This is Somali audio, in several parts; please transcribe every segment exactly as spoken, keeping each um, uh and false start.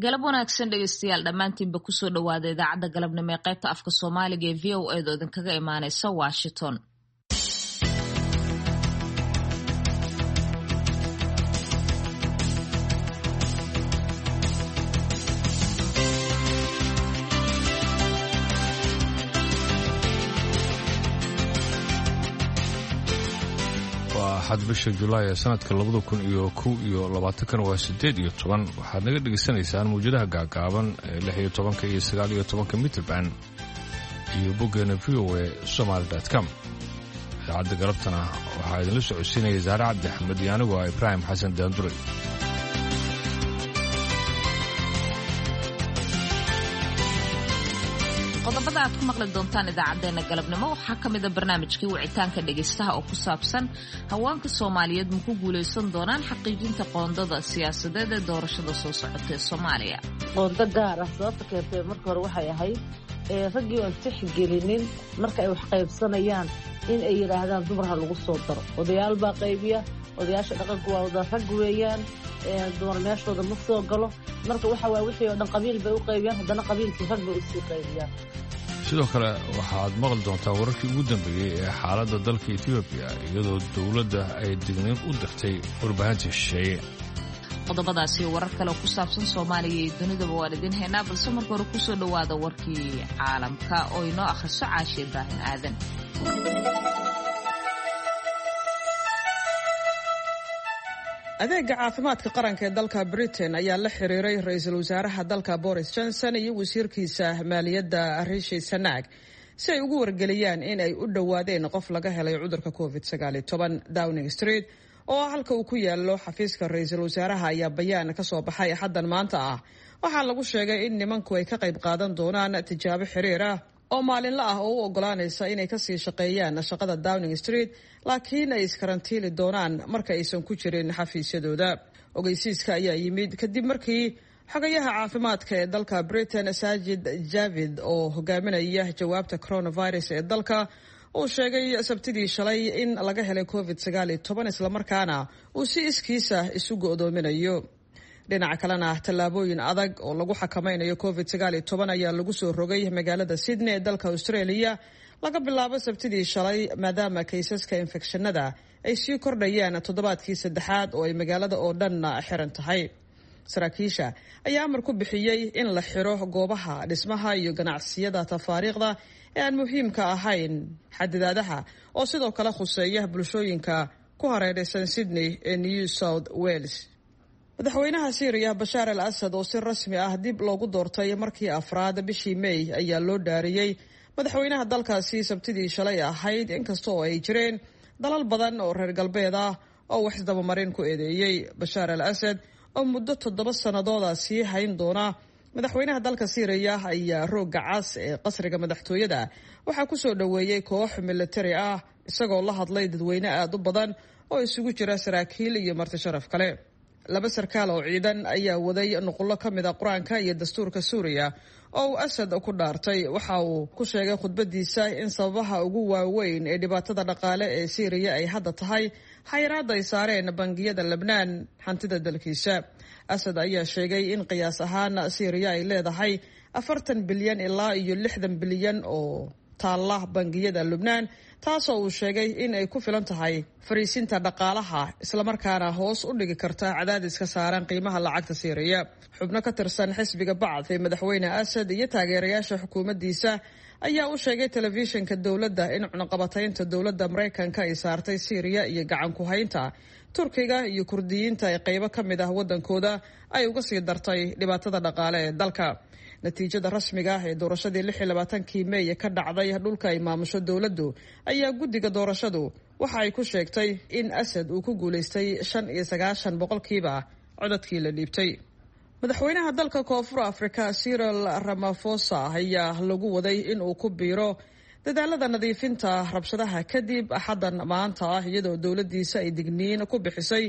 Galab wanaagsan dhegeystayaal, dhammaantiinba kusoo dhawaada idaacadda galabnimo ee qaybta afka Soomaaliga ee V O A da oo idinkaga imaaneysa Washington. Axad bisha Julaay ee sanadka labada kun iyo kow iyo labaatankan waa siddeed iyo toban. Waxaad naga dhegaysanaysaan mawjadaha gaagaaban ee lix iyo tobanka iyo sagaal iyo tobanka mitrban iyo boggeena V O A somaali dot com. Idaacadda galabtana waxaa idinla socodsiinaya Saare Cabdi Axmed iyo anigu ah Ibraahim Xasan Daanduray. Qodobada aad ku maqli doontaan idaacadeena galabnimo waxaa ka mid a barnaamijkii wicitaanka dhegaystaha oo ku saabsan haweenka Soomaaliyeed ma ku guulaysan doonaan xaqiijinta qoondada siyaasadeed ee doorashada soo socota ee Soomaaliya. Qoondo gaar ah sababta keentay marka hore waxay ahayd raggii oon tixgelinin marka ay wax qaybsanayaan in ay yidhaahdaan dumarha lagu soo daro. Odayaal baa qaybiya, odayaasha dhaqanku waa wada rag weeyaan, dumar meeshooda ma soo galo. Marka waxa waay wixii oo dhan qabiil bay u qaybiyaan, haddana qabiilkii rag bay usii qaybiyaan. Sidoo kale waxaad maqli doontaa wararkii ugu dambeeyey ee xaaladda dalka Etoobiya, iyadoo dowladda ay digniin u dirtay warbaahinta shisheeye. Qodobadaasi iyo warar kale oo ku saabsan Soomaaliya iyo dunidaba waan idiin haynaa, balse marka hore kusoo dhowaada warkii caalamka oo inoo akhriso Caashe Ibraahim Aadan. Adeega caafimaadka qaranka ee dalka Britain ayaa la xiriiray ra-iisul wasaaraha dalka Boris Johnson iyo wasiirkiisa maaliyadda Rishi Sunak si ay ugu wargeliyaan in ay u dhowaadeen qof laga helay cudurka covid sagaal iyo toban. Downing Street oo ah halka uu ku yaalo xafiiska ra-iisul wasaaraha ayaa bayaan ka soo baxay Axaddan maanta ah. Waxaa lagu sheegay in nimanku ay ka qayb qaadan doonaan tijaabo xiriir ah oo maalinla ah oo u ogolaanaysa inay kasii shaqeeyaan shaqada Downing Street, laakiin ay iskarantiili doonaan marka aysan ku jirin xafiisyadooda. Ogeysiiska ayaa yimid kadib markii xogayaha caafimaadka ee dalka Britain Sajid Javid oo hogaaminaya jawaabta coronavirus ee dalka uu sheegay Sabtidii shalay in laga helay covid sagaal iyo toban, islamarkaana uu si iskiisa isu go'doominayo. Dhinaca kalena tallaabooyin adag oo lagu xakameynayo covid sagaal iyo toban ayaa lagu soo rogay magaalada Sydney ee dalka Australia laga bilaabo Sabtidii shalay, maadaama kaysaska infekshanada ay sii kordhayaan toddobaadkii saddexaad oo ay magaalada oo dhan xiran tahay. Saraakiisha ayaa amar ku bixiyey in la xiro goobaha dhismaha iyo ganacsiyada tafaariiqda ee aan muhiimka ahayn. Xadidaadaha oo sidoo kale khuseeya bulshooyinka ku hareeraysan Sydney ee New South Wales. Madaxweynaha Siiriya Bashaar al Asad oo si rasmi ah dib loogu doortay markii afraad bishii May ayaa loo dhaariyey madaxweynaha dalkaasi Sabtidii shalay ahayd, inkasta oo ay jireen dalal badan oo reer galbeed ah oo wax isdabamarin ku eedeeyey. Bashaar al Asad oo muddo toddoba sannadooda sii hayn doona madaxweynaha dalka Siiriya ayaa roogga cas ee qasriga madaxtooyada waxaa kusoo dhoweeyey koox militari ah, isagoo la hadlay dadweyne aada u badan oo isugu jira saraakiil iyo marti sharaf kale. Laba sarkaal oo ciidan ayaa waday nuqullo ka mid a qur-aanka iyo dastuurka Suuriya oo uu Asad ku dhaartay. Waxa uu ku sheegay khudbadiisa in sababaha ugu waaweyn ee dhibaatada dhaqaale ee Siiriya ay hadda tahay xayiraadda ay saareen bangiyada Lebnaan hantida dalkiisa. Asad ayaa sheegay in qiyaas ahaan Siiriya ay leedahay afartan bilyan ilaa iyo lixdan bilyan oo taalla bangiyada Lubnaan, taasoo uu sheegay in ay ku filan tahay fariisinta dhaqaalaha islamarkaana hoos u dhigi karta cadaadiska saaran qiimaha lacagta Siiriya. Xubno ka tirsan xisbiga Bacth ee madaxweyne Asad iyo taageerayaasha xukuumaddiisa ayaa u sheegay telefishinka dowladda in cunaqabataynta dowladda Maraykanka ay saartay Siiriya iyo gacan ku haynta Turkiga iyo Kurdiyiinta ee qaybo ka mid ah waddankooda ay uga sii dartay dhibaatada dhaqaale ee dalka. Natiijada rasmiga ah ee doorashadii lix iyo labaatankii Meey ka dhacday dhulka ay maamusho dowladdu ayaa guddiga doorashadu waxa ay ku sheegtay in Asad uu ku guulaystay shan iyo sagaashan boqolkiiba codadkii la dhiibtay. Madaxweynaha dalka Koonfur Afrika Cyril Ramaphosa ayaa lagu waday in uu ku biiro dadaalada nadiifinta rabshadaha kadib Axaddan maanta ah, iyadoo dowladdiisa ay digniin ku bixisay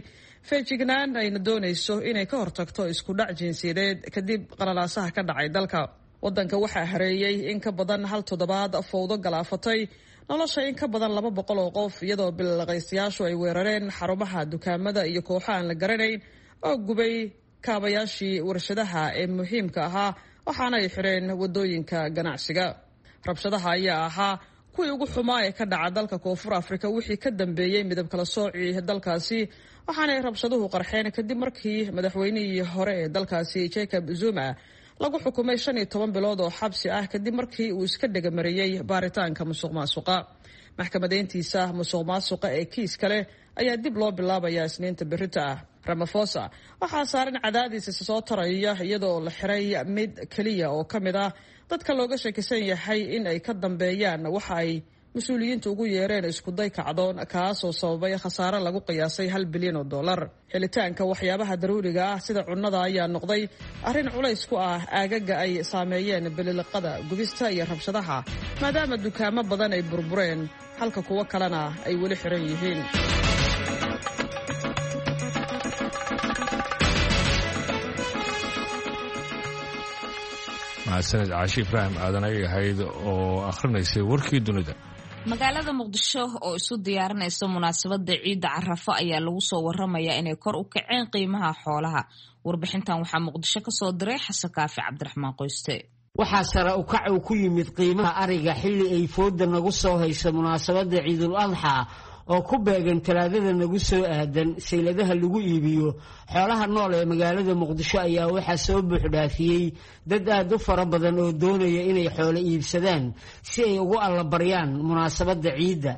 feejignaan ayna doonayso inay ka hortagto isku dhac jinsiyadeed kadib qalalaasaha ka dhacay dalka. Waddanka waxaa hareeyey in ka badan hal toddobaad fowdo galaafatay nolosha in ka badan laba boqol oo qof, iyadoo bilaqaystayaashu ay weerareen xarumaha dukaamada iyo kooxo aan la garanayn oo gubay kaabayaashii warshadaha ee muhiimka ahaa, waxaana ay xireen wadooyinka ganacsiga. Rabshadaha ayaa ahaa kuwii ugu xumaa ee ka dhaca dalka Koonfur Afrika wixii ka dambeeyey midab kala soocii dalkaasi, waxaanay rabshaduhu qarxeen kadib markii madaxweynihii hore ee dalkaasi Jacob Zuma lagu xukumay shan iyo toban bilood oo xabsi ah kadib markii uu iska dhegamariyey baaritaanka musuq maasuqa. Maxkamadeyntiisa musuq maasuqa ee kiis kale ayaa dib loo bilaabayaa Isniinta berrita ah. Ramaphosa waxaa saaran cadaadis isa soo taraya, iyadoo la xiray mid keliya oo ka mid ah dadka looga shakisan yahay in ay ka dambeeyaan waxa ay mas-uuliyiintu ugu yeereen iskuday kacdoon, kaasoo sababay khasaare lagu qiyaasay hal bilyan oo dollar. Helitaanka waxyaabaha daruuriga ah sida cunnada ayaa noqday arrin culays ku ah aagaga ay saameeyeen bililiqada, gubista iyo rabshadaha, maadaama dukaamo badan ay burbureen halka kuwo kalena ay weli xiran yihiin. Mahadsaned Caashi Ibraahim Aadan ayay ahayd oo akhrinaysay warkii dunida. Magaalada Muqdisho oo isu diyaarinaysa munaasabadda ciidda Carafo ayaa lagu soo waramayaa inay kor u kaceen qiimaha xoolaha. Warbixintan waxaa Muqdisho ka soo diray Xasan Kaafi Cabdiraxmaan Qoyste. Waxaa sare u kac uu ku yimid qiimaha ariga xilli ay fooda nagu soo hayso munaasabadda Ciidul Adxaa oo ku beegan Talaadada nagu soo aadan. Sayladaha lagu iibiyo xoolaha nool ee magaalada Muqdisho ayaa waxaa soo buuxdhaafiyey dad aad u fara badan oo doonaya inay xoolo iibsadaan si ay ugu allabaryaan munaasabadda ciidda.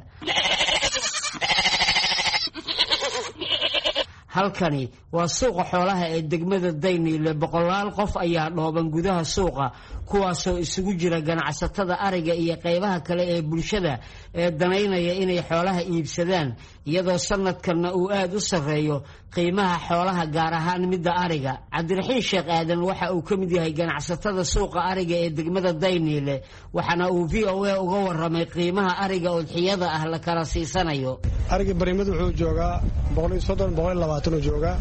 Halkani waa suuqa xoolaha ee degmada Dayniile. Boqolaal qof ayaa dhooban gudaha suuqa, kuwaasoo isugu jira ganacsatada ariga iyo qaybaha kale ee bulshada ee danaynaya inay xoolaha iibsadaan, iyadoo sanadkanna uu aad u sarreeyo qiimaha xoolaha, gaar ahaan midda ariga. Cabdiraxiin Sheekh Aadan waxa uu ka mid yahay ganacsatada suuqa ariga ee degmada Dayniile, waxaana uu V O A uga waramay qiimaha ariga udxiyada ah la kala siisanayo. Ariga barimadu wuxuu joogaa boqol iyo soddon, boqol iyo labaatan uu joogaa.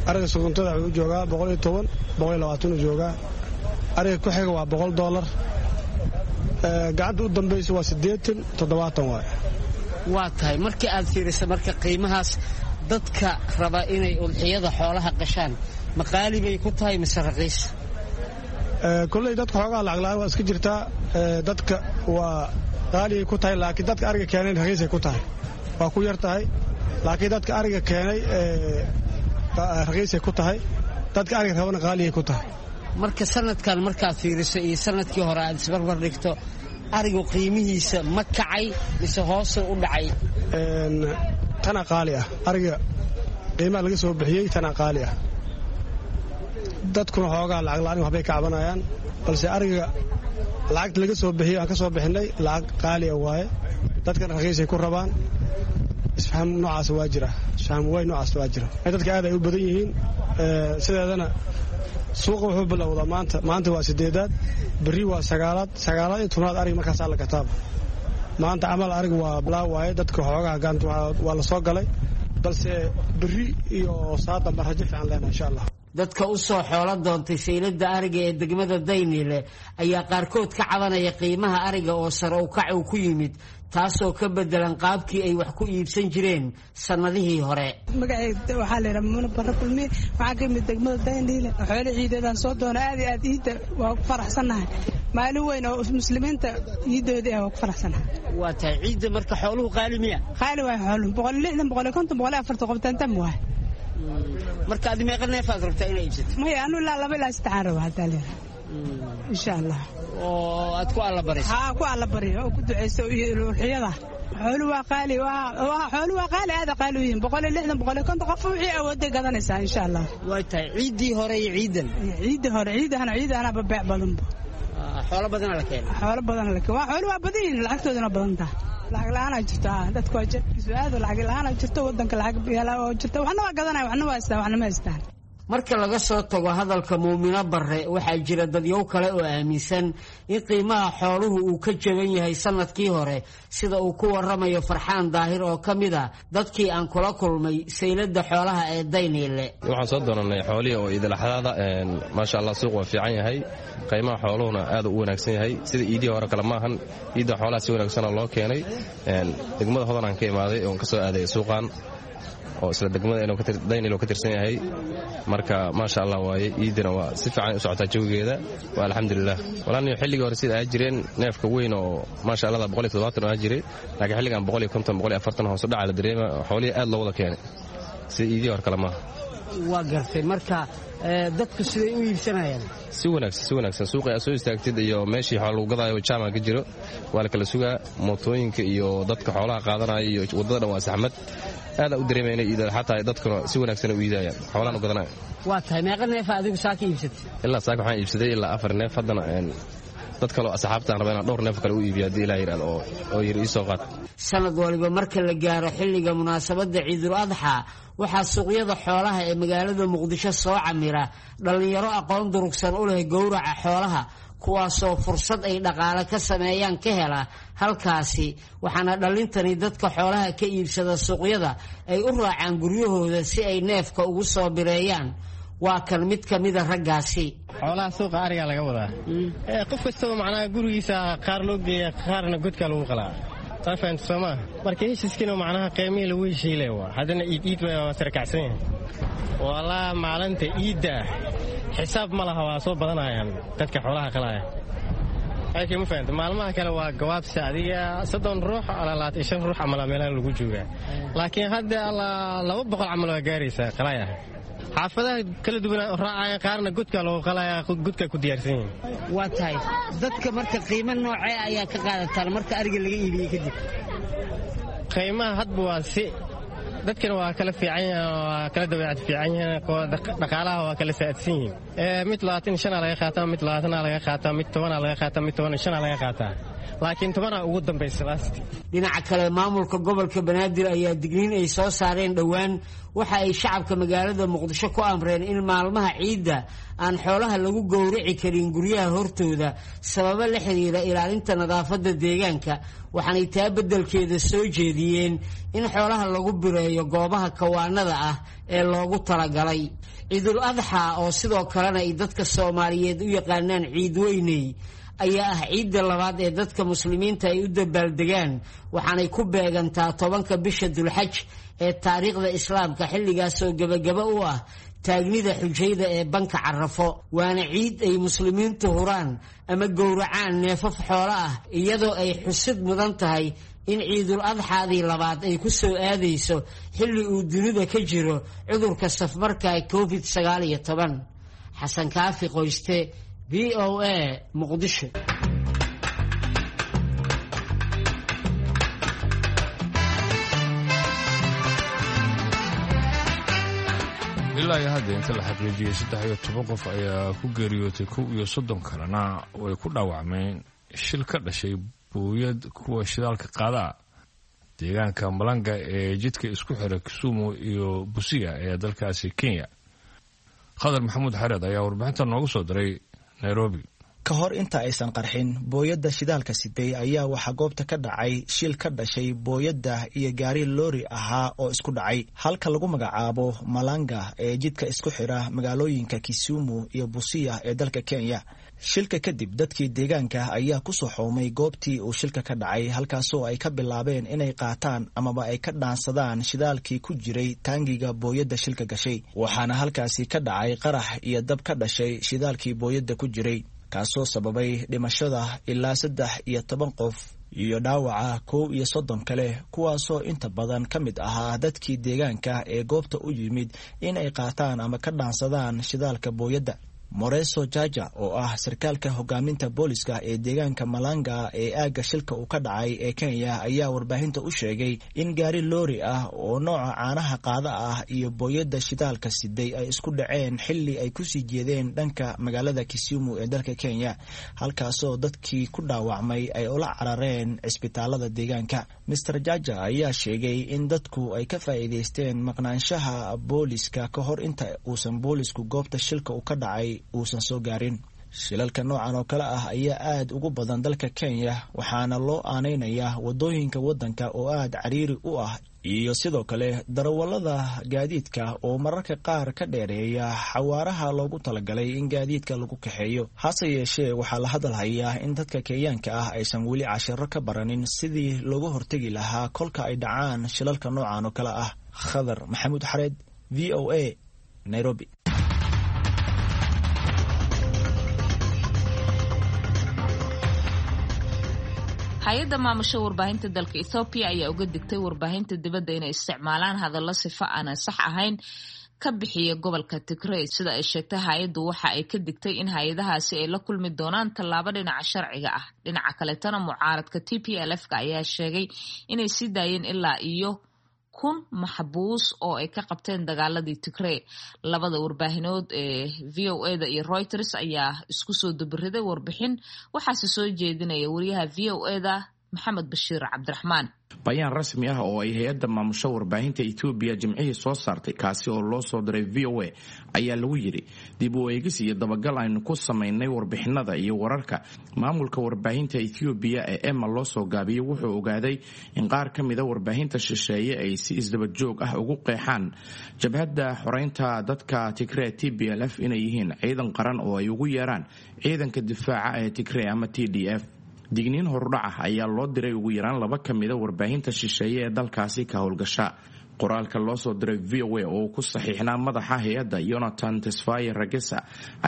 Ariga suguntada wuxuu joogaa boqol iyo toban, boqol iyo labaatan uu joogaa. Ariga ku xiga waa boqol dollar. Gacanta u dambaysa waa siddeetan, toddobaatan waay. Waa tahay, markii aad fiiriso marka qiimahaas, dadka raba inay udxiyada xoolaha qashaan ma qaali bay ku tahay mise raqiis? Kolley dadka xoogaha lacag la'aan waa iska jirtaa. Dadka waa qaaligay ku tahay, laakiin dadka ariga keenay raqiisay ku tahay, waa ku yar tahay. Laakiin dadka ariga keenay raqiisay ku tahay, dadka ariga rabana qaaligay ku tahay. Marka sanadkan markaad fiiriso iyo sanadkii hore aad isbarbar dhigto, arigu qiimihiisa ma kacay mise hoosuu u dhacay? Tana qaali ah, ariga qiimaha laga soo bixiyey tana qaali ah. Dadkuna xoogaa lacag la'aan waxbay ka cabanayaan, balse ariga lacagta laga soo bixiyey aan ka soo bixinay lacag qaali ah waaye, dadkana raqiisay ku rabaan. Isfaham noocaas waa jira, isfaham way noocaas waa jira. Dadka aad ay u badan yihiin. Sideedana suuqa wuxuu bilowdaa maanta. Maanta waa sideedaad, berri waa sagaalaad, sagaalaad iyo tobnaad ariga markaasaa la gataaba. Maanta camal ariga waa bilaa waaye, dadka xoogaha gacanta waa la soo galay, balse berri iyo saadamba rajo fiican leenahay insha Allah. Dadka u soo xoolo doontay sayladda ariga ee degmada Dayniile ayaa qaarkood ka cabanaya qiimaha ariga oo sare u kac uu ku yimid, taasoo ka bedelan qaabkii ay wax ku iibsan jireen sannadihii hore. Magacayda waxaa la yidhaha Mumuna Barre Kulmiye, waxaan ka yimid degmada Dayniile. Xoolo ciideedaan soo doona, aad iyo aad iidda waa ku faraxsannahay. Maalin weyn oo muslimiinta ciidoodii ah waa ku faraxsannahay. Waa tahay, ciidda marka xooluhu qaali miya? Qaali waay xooluhu, boqol iyo lixdan, boqol iyo konton, boqol iyo afartan qobtaantam waay. Marka adi meeqa neefaad rabtaa inaa iibsato? Maya, anu ilaa laba ilaa saddexaan raba haddaa leedahay insha Allah. Oo aad ku allabarayso? Haa, ku allabariyo oo ku ducayso iyo ulxiyada. Xoolu waa qaali, waa xoolu waa qaali, aad qaali u yihiin, boqol iyo lixdan, boqol iyo konton, qof wixii awooday gadanaysaa insha Allah. Waa tahay, ciiddii hore iyo ciidan? Ciiddii hore, ciidahana ciidahana beec badanba. Xoolo badana la keenay? Xoolo badana la keenay, waa xoolo waa badan yihiin, lacagtoodana badan tahay. Lacag la'aanaa jirto, dadku waa jeebkiisu aad lacag la'aanaa jirto, waddanka lacag oo jirto, waxna waa gadanaya, waxna waa haystaan, waxna ma haystaan. Marka laga soo tago hadalka Muumino Barre, waxaa jira dadyow kale oo aaminsan in qiimaha xooluhu uu ka jaban yahay sanadkii hore, sida uu ku waramayo Farxaan Daahir oo ka mid ah dadkii aan kula kulmay sayladda xoolaha ee Dayniile. Waxaan soo doonanay xoolihii oo iidalaxdaada. Maasha Allah, suuq waa fiican yahay, qiimaha xooluhuna aad u wanaagsan yahay, sida iidihii hore kale maahan. Iidda xoolaha si wanaagsanoo loo keenay. Degmada Hodan aan ka imaaday oon ka soo aaday suuqan. oo isla degmada Daynilo ka tirsan yahay. Marka maasha Allah waaye, iidina waa si fiican u socotaa jawigeeda, waa alxamdulilah. Walaaniyo xilligii hore sida aa jireen neefka weyn oo maasha Allah boqol iyo toddobaatan oo aa jiray, laakiin xilligan boqol iyo konton boqol iyo afartan hoos u dhaca la dareema. Xoolihii aad loo wada keenay sida iidihii hore kale maaha. Waa gartay. Marka dadku siday u iibsanayaan? Si wanaagsan, si wanaagsan. Suuqii aad soo istaagtid iyo meeshii xoola lagu gadaayo jaama ka jiro, waa la kala sugaa. Mootooyinka iyo dadka xoolaha qaadanaya iyo waddada dhan waa saxmad. Aad u dareemaya inay iidada xataa dadkuna si wanaagsan u iidayaan xoolahan u gadanaya. Waa tahay. Meeqa neefa adigu saaka iibsatay? Ilaa saaka waxaan iibsaday ilaa afar neef. Haddana dad kaloo asxaabtaan raba inaan dhowr neef kale u iibiyo haddii ilaa yidhahdo oo oo yiri ii soo qaad. Sanad waliba marka la gaaro xilliga munaasabadda Ciidul Adxaa, waxaa suuqyada xoolaha ee magaalada Muqdisho soo camira dhallinyaro aqoon durugsan u leh gowraca xoolaha, kuwaasoo fursad ay dhaqaale ka sameeyaan ka hela halkaasi. Waxaana dhallintani dadka xoolaha ka iibsada suuqyada ay u raacaan guryahooda si ay neefka ugu soo bireeyaan. Waa kan mid ka mida raggaasi. Xoolaha suuqa arigaa laga wadaa. Qof kastaba macnaha gurigiisa qaar loo geeya, qaarna godkaa lagu qalaa. Fahamta soomaa? Marka heshiiskiina macnaha qiimihii lagu heshiilay waa haddana iid iid waa sarakacsan yahay. Walaa maalinta iidda xisaab ma laha, waa soo badanayaan dadka xoolaha qalaya. Laakiin ma fahamta, maalmaha kale waa gawaabsi adiga soddon ruux alaa labaatan iyo shan ruux camal meelaha lagu joogaa, laakiin hadda alaa laba boqol camal waa gaaraysaa qalaya. Xaafadaha kala duwan raacaya, qaarna godka loogu qalaya, godka ku diyaarsan yihiin. Waa tahay. Dadka marka qiimo noocee ayaa ka qaadataan marka ariga laga iibiyey kadib? Qiimaha hadba waa si, dadkana waa kala fiican yihiin, waa kala dabeecad fiican yihiin, dhaqaalaha waa kala saadsan yihiin. Mid labaatan shanaa laga qaataa, mid labaatanaa laga qaataa, mid tobanaa laga qaataa, mid toban shanaa laga qaataa, laakiin tobanaa ugu dambaysa last. Dhinaca kale, maamulka gobolka Banaadir ayaa digniin ay soo saareen dhowaan waxa ay shacabka magaalada Muqdisho ku amreen in maalmaha ciidda aan xoolaha lagu gowrici karin guryaha hortooda sababo la xiriira ilaalinta nadaafadda deegaanka. Waxaanay taa beddelkeeda soo jeediyeen in xoolaha lagu bireeyo goobaha kawaanada ah ee loogu talagalay. Ciidul Adxaa, oo sidoo kalena ay dadka Soomaaliyeed u yaqaanaan Ciid Weyney, ayaa ah ciidda labaad ee dadka muslimiinta ay u dabaaldegaan, waxaanay ku beegantaa tobanka bisha Dulxaj ee taariikhda Islaamka, xilligaasoo gebagaba u ah taagnida xujayda ee banka Carafo. Waana ciid ay muslimiintu huraan ama gowracaan neefaf xoolo ah, iyadoo ay xusid mudan tahay in Ciidul Adxaadii labaad ay ku soo aadayso xilli uu dunida ka jiro cudurka safmarka Covid sagaal iyo toban. Xasan Kaafi Qoyste, V O A, Muqdisho. Ilaa iyo hadda inta la xaqiijiyey saddex iyo toban qof ayaa ku geeriyootay, kow iyo soddon kalena way ku dhaawacmeen shil ka dhashay buuyad kuwa shidaalka qaadaa deegaanka Malanga ee jidka isku xira Kisumu iyo Busia ee dalkaasi Kenya. Khadar Maxamuud Xareed ayaa warbixinta noogu soo diray Nairobi. Ka hor inta aysan qarxin booyadda shidaalka siday ayaa waxaa goobta ka dhacay shil ka dhashay booyadda iyo gaari loori ahaa oo isku dhacay halka lagu magacaabo Malanga ee jidka isku xira magaalooyinka Kisumu iyo Busia ee dalka Kenya. Shilka kadib dadkii deegaanka ayaa ku soo xoomay goobtii uu shilka ka dhacay, halkaasoo ay ka bilaabeen inay qaataan amaba ay ka dhaansadaan shidaalkii ku jiray taangiga booyadda shilka gashay. Waxaana halkaasi ka dhacay qarax iyo dab ka dhashay shidaalkii booyadda ku jiray, kaasoo sababay dhimashada ilaa saddex iyo toban qof iyo dhaawaca kow iyo soddon kale, kuwaasoo inta badan ka mid ahaa dadkii deegaanka ee goobta u yimid in ay qaataan ama ka dhaansadaan shidaalka booyadda. Moreso Jaja oo ah sarkaalka hogaaminta booliska ee deegaanka Malanga ee aagga shilka uu ka dhacay ee Kenya ayaa warbaahinta u sheegay in gaari loori ah oo nooca caanaha qaada ah iyo booyadda shidaalka siday ay isku dhaceen xilli ay kusii jeedeen dhanka magaalada Kisumu ee dalka Kenya, halkaasoo dadkii ku dhaawacmay ay ula carareen cisbitaalada deegaanka. Mister Jaja ayaa sheegay in dadku ay ka faa'iidaysteen maqnaanshaha booliska ka hor inta uusan boolisku goobta shilka uu ka dhacay uusan soo gaarin. Shilalka noocan oo kale ah ayaa aad ugu badan dalka Kenya, waxaana loo aaneynayaa wadooyinka waddanka oo aad cariiri u ah iyo sidoo kale darawallada gaadiidka oo mararka qaar ka dheereeya xawaaraha loogu talagalay in gaadiidka lagu kaxeeyo. Hase yeeshee waxaa la hadalhayaa in dadka Kenyaanka ah aysan weli cashiro ka baranin sidii looga hortegi lahaa kolka ay dhacaan shilalka noocan oo kale ah. Khadar Maxamuud Xareed, V O A, Nairobi. Hay-adda maamusha warbaahinta dalka Ethoobiya ayaa uga digtay warbaahinta dibadda inay isticmaalaan hadallo sifo aanan sax ahayn ka bixiya gobolka Tigray. Sida ay sheegtay hay-addu, waxa ay ka digtay in hay-adahaasi ay la kulmi doonaan tallaabo dhinaca sharciga ah. Dhinaca kaletana, mucaaradka T P L F-ka ayaa sheegay inay sii daayeen ilaa iyo kun maxbuus oo ay ka qabteen dagaaladii Tigray. Labada warbaahinood ee V O A-da iyo Reuters ayaa isku soo dubiriday warbixin, waxaase soo jeedinaya wariyaha V O A-da Maxamed Bashiir Cabdiraxmaan. Bayaan rasmi ah oo ay hay-adda maamusho warbaahinta Etoobiya jimcihii soo saartay, kaasi oo loo soo diray V O A, ayaa lagu yidhi: dib u eegis iyo dabagal aynu ku samaynay warbixinada iyo wararka maamulka warbaahinta Etoobiya ee EMA loo soo gaabiyey wuxuu ogaaday in qaar ka mida warbaahinta shisheeye ay si isdaba joog ah ugu qeexaan jabhadda xoreynta dadka Tigree T B L F inay yihiin ciidan qaran oo ay ugu yeeraan ciidanka difaaca ee Tigree ama T D F. Digniin horudhac ah ayaa loo diray ugu yaraan laba ka mida warbaahinta shisheeye ee dalkaasi ka howlgasha. Qoraalka loo soo diray V O A oo ku saxiixnaa madaxa hay-adda Yonatan Tesfaye Ragesa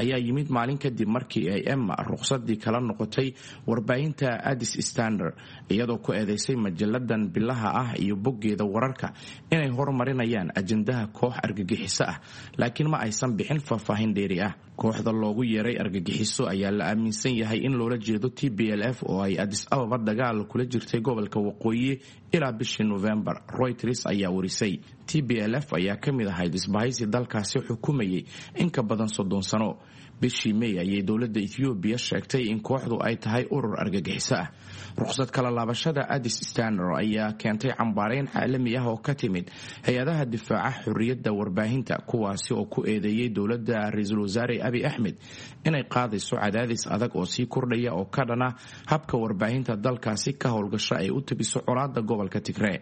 ayaa yimid maalin kadib markii ay EMA ruqsadii kala noqotay warbaahinta Addis Standard, iyadoo ku eedeysay majalladan bilaha ah iyo boggeeda wararka inay horumarinayaan ajandaha koox argagixiso ah, laakiin ma aysan bixin faahfaahin dheeri ah. Kooxda loogu yeeray argagixiso ayaa la aaminsan yahay in loola jeedo T B L F oo ay Addis Ababa dagaal kula jirtay gobolka waqooyi ilaa bishii Novembar, Reuters ayaa warisay. T B L F ayaa ka mid ahayd isbahaysi dalkaasi xukumayay in ka badan soddon sano. Bishii May ayay dowladda Ethoobiya sheegtay in kooxdu ay tahay urur argagixiso ah. Ruqsad kala laabashada Addis Standard ayaa keentay cambaareyn caalami ah oo ka timid hay-adaha difaaca xorriyadda warbaahinta, kuwaasi oo ku eedeeyey dowladda ra-iisul wasaare Abiy Axmed inay qaadayso cadaadis adag oo sii kordhaya oo ka dhana habka warbaahinta dalkaasi ka howlgasho ay u tabiso colaadda gobolka Tigree.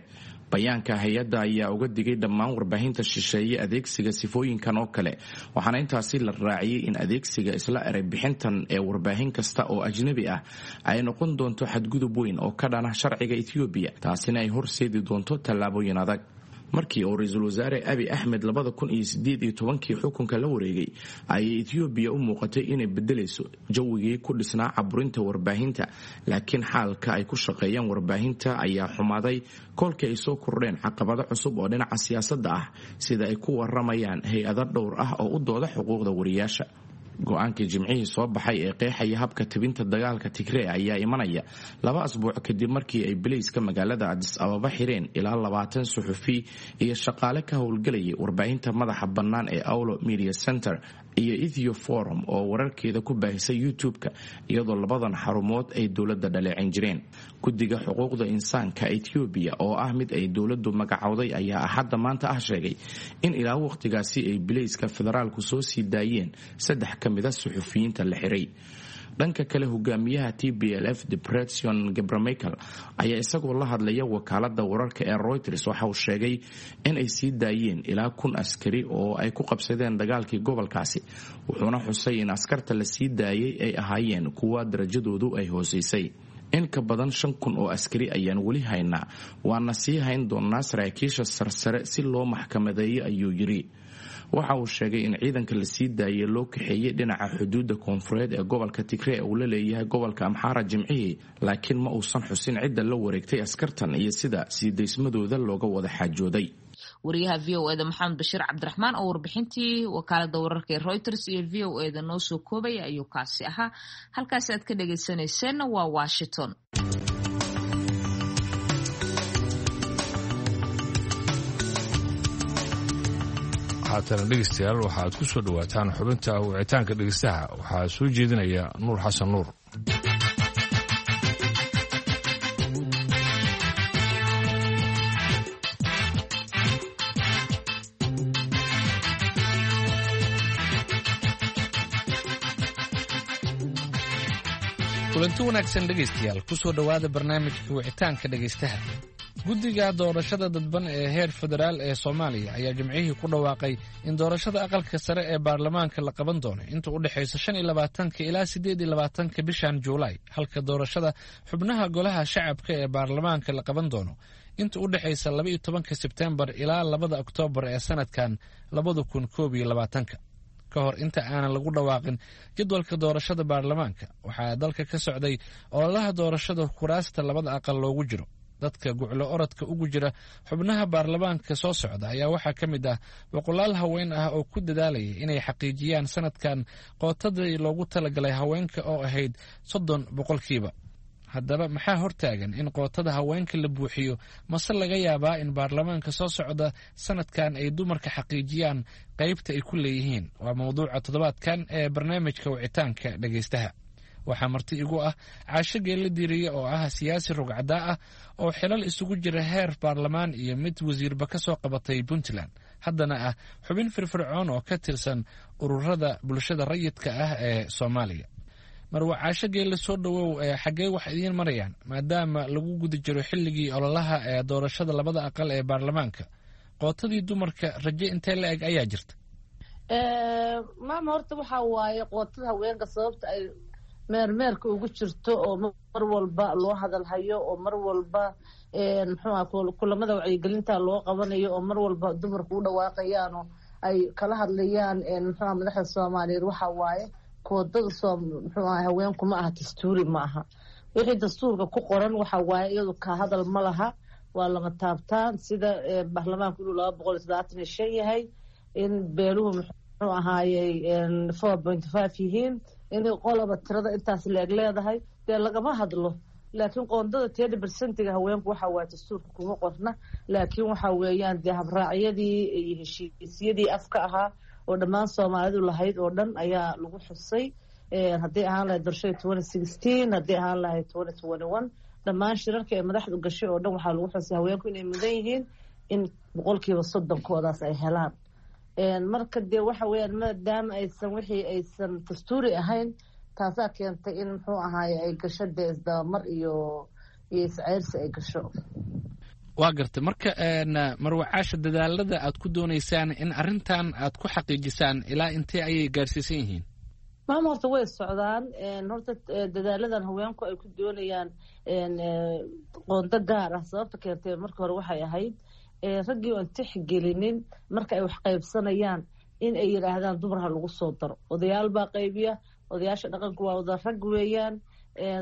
Bayaanka hay-adda ayaa uga digay dhammaan warbaahinta shisheeye adeegsiga sifooyinkan oo kale, waxaana intaasi la raaciyey in adeegsiga isla erey bixintan ee warbaahin kasta oo ajnabi ah ay noqon doonto xadgudub weyn oo ka dhana sharciga Etoobiya, taasina ay horseedi doonto tallaabooyin adag. Markii uu ra-iisul wasaare Abiy Axmed labada kun iyo sideed iyo tobankii xukunka la wareegay ayay Etoobiya u muuqatay inay bedelayso jawigii ku dhisnaa caburinta warbaahinta, laakiin xaalka ay ku shaqeeyaan warbaahinta ayaa xumaaday kolkii ay soo kordheen caqabado cusub oo dhinaca siyaasadda ah, sida ay ku waramayaan hay-ado dhowr ah oo u dooda xuquuqda wariyaasha. Go-aankii jimcihii soo baxay ee qeexaya habka tebinta dagaalka Tigree ayaa imanaya laba asbuuc kadib markii ay bilayska magaalada Addis Ababa xireen ilaa labaatan suxufi iyo shaqaale ka howlgelayay warbaahinta madaxa bannaan ee Awlo Media Center iyo Ethio Forum oo wararkeeda ku baahisay YouTube-ka, iyadoo labadan xarumood ay dowladda dhaleecin jireen. Guddiga xuquuqda insaanka Etoobiya oo ah mid ay dowladdu magacowday ayaa axadda maanta ah sheegay in ilaa wakhtigaasi ay bilayska federaalku soo sii daayeen saddex ka mida suxufiyiinta la xiray. Dhanka kale, hogaamiyaha T B L F Debretsion Gebremichael ayaa isagoo la hadlaya wakaalada wararka ee Reuters waxa uu sheegay in ay sii daayeen ilaa kun askari oo ay ku qabsadeen dagaalkii gobolkaasi, wuxuuna xusay in askarta la sii daayay ay ahaayeen kuwa darajadoodu ay hooseysay. In ka badan shan kun oo askari ayaan weli haynaa, waana sii hayn doonaa saraakiisha sarsare si loo maxkamadeeyo, ayuu yidhi. Waxa uu sheegay in ciidanka la sii daayay loo kaxeeyey dhinaca xuduudda koonfureed ee gobolka Tigree uu la leeyahay gobolka Amxaara jimcihii, laakiin ma uusan xusin cidda la wareegtay askartan iyo sida sii daysmadooda looga wada xaajooday. Wariyaha V O eda Maxamed Bashiir Cabdiraxmaan oo warbixintii wakaalada wararka ee Reuters iyo V O eda noo soo koobaya ayuu kaasi ahaa. Halkaasi aad ka dhageysaneyseen waa Washington. Haatana dhegeystayaal, waxaad ku soo dhowaataan xubinta wicitaanka dhegeystaha. Waxaa soo jeedinaya Nuur Xasan Nuur. Kulanti wanaagsan dhegaystayaal, kusoo dhowaada barnaamijka wicitaanka dhegaystaha. Guddiga doorashada dadban ee heer federaal ee Soomaaliya ayaa jimcihii ku dhawaaqay in doorashada aqalka sare ee baarlamaanka la qaban doono inta u dhexaysa shan iyo labaatanka ilaa siddeed iyo labaatanka bishan Juulaay, halka doorashada xubnaha golaha shacabka ee baarlamaanka la qaban doono inta u dhexaysa laba iyo tobanka Sebtembar ilaa labada Oktoobar ee sanadkan labada kun koob iyo labaatanka. Ka hor inta aanan lagu dhawaaqin jadwalka doorashada baarlamaanka, waxaa dalka ka socday ololaha doorashada kuraasta labada aqal loogu jiro. Dadka guclo orodka ugu jira xubnaha baarlamaanka soo socda ayaa waxaa ka mid ah boqolaal haween ah oo ku dadaalaya inay xaqiijiyaan sanadkan qootadii loogu talagalay haweenka oo ahayd soddon boqolkiiba. Haddaba maxaa hortaagan in qootada haweenka la buuxiyo? Mase laga yaabaa in baarlamaanka soo socda sanadkan ay dumarka xaqiijiyaan qaybta ay ku leeyihiin? Waa mawduuca toddobaadkan ee barnaamijka wicitaanka dhegaystaha. Waxaa marti igu ah Caasho Geella Diiriye oo ah siyaasi rugcadaa ah oo xilal isugu jira heer baarlamaan iyo mid wasiirba ka soo qabatay Puntland, haddana ah xubin firfircoon oo ka tirsan ururada bulshada rayidka ah ee Soomaaliya. Marwa Caasho Geelle, soo dhowow. Xaggee wax idiin marayaan maadaama lagu guda jiro xilligii ololaha ee doorashada labada aqal ee baarlamaanka? Qootadii dumarka rajo intee la eg ayaa jirta? Maama, horta waxaa waaye qootada haweenka sababta ay meermeerka ugu jirto oo mar walba loo hadalhayo oo mar walba muxuuha kulamada wacyigelinta loo qabanayo oo mar walba dumarku u dhawaaqayaanoo ay kala hadlayaan muxuuha madaxda Soomaaliyeed, waxaa waaye koodada soo muxuu aha haweenku ma aha dastuuri, ma aha. Wixii dastuurka ku qoran waxa waaye iyadu ka hadal ma laha, waa lama taabtaan. Sida baarlamaanku inuu laba boqol iyo toddobaatan iyo shan yahay, in beeluhu muxuu ahaayey four point five yihiin, inay qoloba tirada intaas leeg leedahay, dee lagama hadlo. Laakiin qoondada thirty percentiga haweenku waxa waaye dastuurka kuma qorna, laakiin waxa weeyaan dee habraacyadii iyo heshiisyadii afka ahaa oo dhammaan Soomaalidu lahayd oo dhan ayaa lagu xusay. Hadday ahaan lahayd doorashada twenty sixteen, hadday ahaan lahayd twenty twenty one, dhammaan shirarka ee madaxdu gashay oo dhan waxaa lagu xusay haweenku inay mudan yihiin in boqolkiiba soddonkoodaas ay helaan. Marka dee waxa weeyaan maadaama aysan wixii aysan dastuuri ahayn, taasaa keentay in muxuu ahaaye ay gasho dee isdabamar iyo iyo isceyrsi ay gasho. Waa gartay. Marka Marwa Caasha, dadaalada aad ku doonaysaan in arrintan aad ku xaqiijisaan ilaa intee ayay gaarsiisan yihiin? Maama, horta way socdaan. Horta dadaaladan haweenku ay ku doonayaan qoondo gaar ah, sababta keentay marka hore waxay ahayd raggii oon tixgelinin marka ay wax qaybsanayaan in ay yidhaahdaan dumar ha lagu soo daro. Odayaal baa qaybiya, odayaasha dhaqanku waa wada rag weeyaan,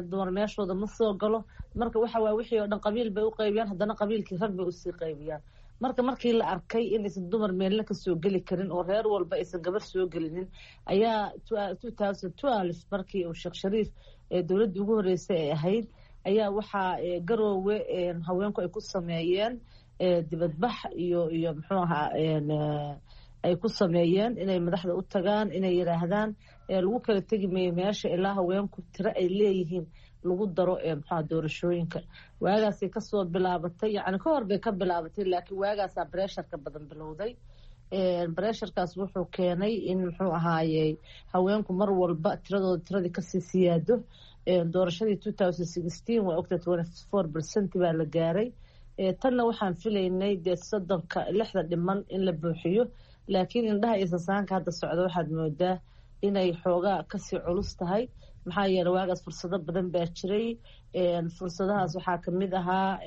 dumar meeshooda ma soo galo. Marka waxa waay wixii oo dhan qabiil bay u qaybiyaan, haddana qabiilkii rag bay usii qaybiyaan. Marka markii la arkay inaysan dumar meelna kasoo geli karin oo reer walba aysan gabar soo gelinin, ayaa two thousand twelve markii uu Sheekh Shariif dowladdii ugu horreysay ay ahayd, ayaa waxaa Garoowe haweenku ay ku sameeyeen dibadbax iyo iyo muxuu ahaa ay ku sameeyeen inay madaxda u tagaan, inay yidhaahdaan lagu kala tegi mayo meesha ilaa haweenku tiro ay leeyihiin lagu daro muxuaha doorashooyinka. Waagaasay kasoo bilaabatay, yacni ka hor bay ka bilaabatay, laakiin waagaasaa bresharka badan bilowday. Bresharkaas wuxuu keenay in muxuu ahaayey haweenku mar walba tiradooda tiradii kasii siyaado. Doorashadii two thousand sixteen waa ogta, twenty four percent baa la gaaray. Tanna waxaan filaynay dee soddonka lixda dhiman in la buuxiyo, laakiin indhaha iyo sasaanka hadda socda waxaad moodaa inay xoogaa kasii culus tahay. Maxaa yeele waagaas fursado badan baa jiray. Fursadahaas waxaa kamid ahaa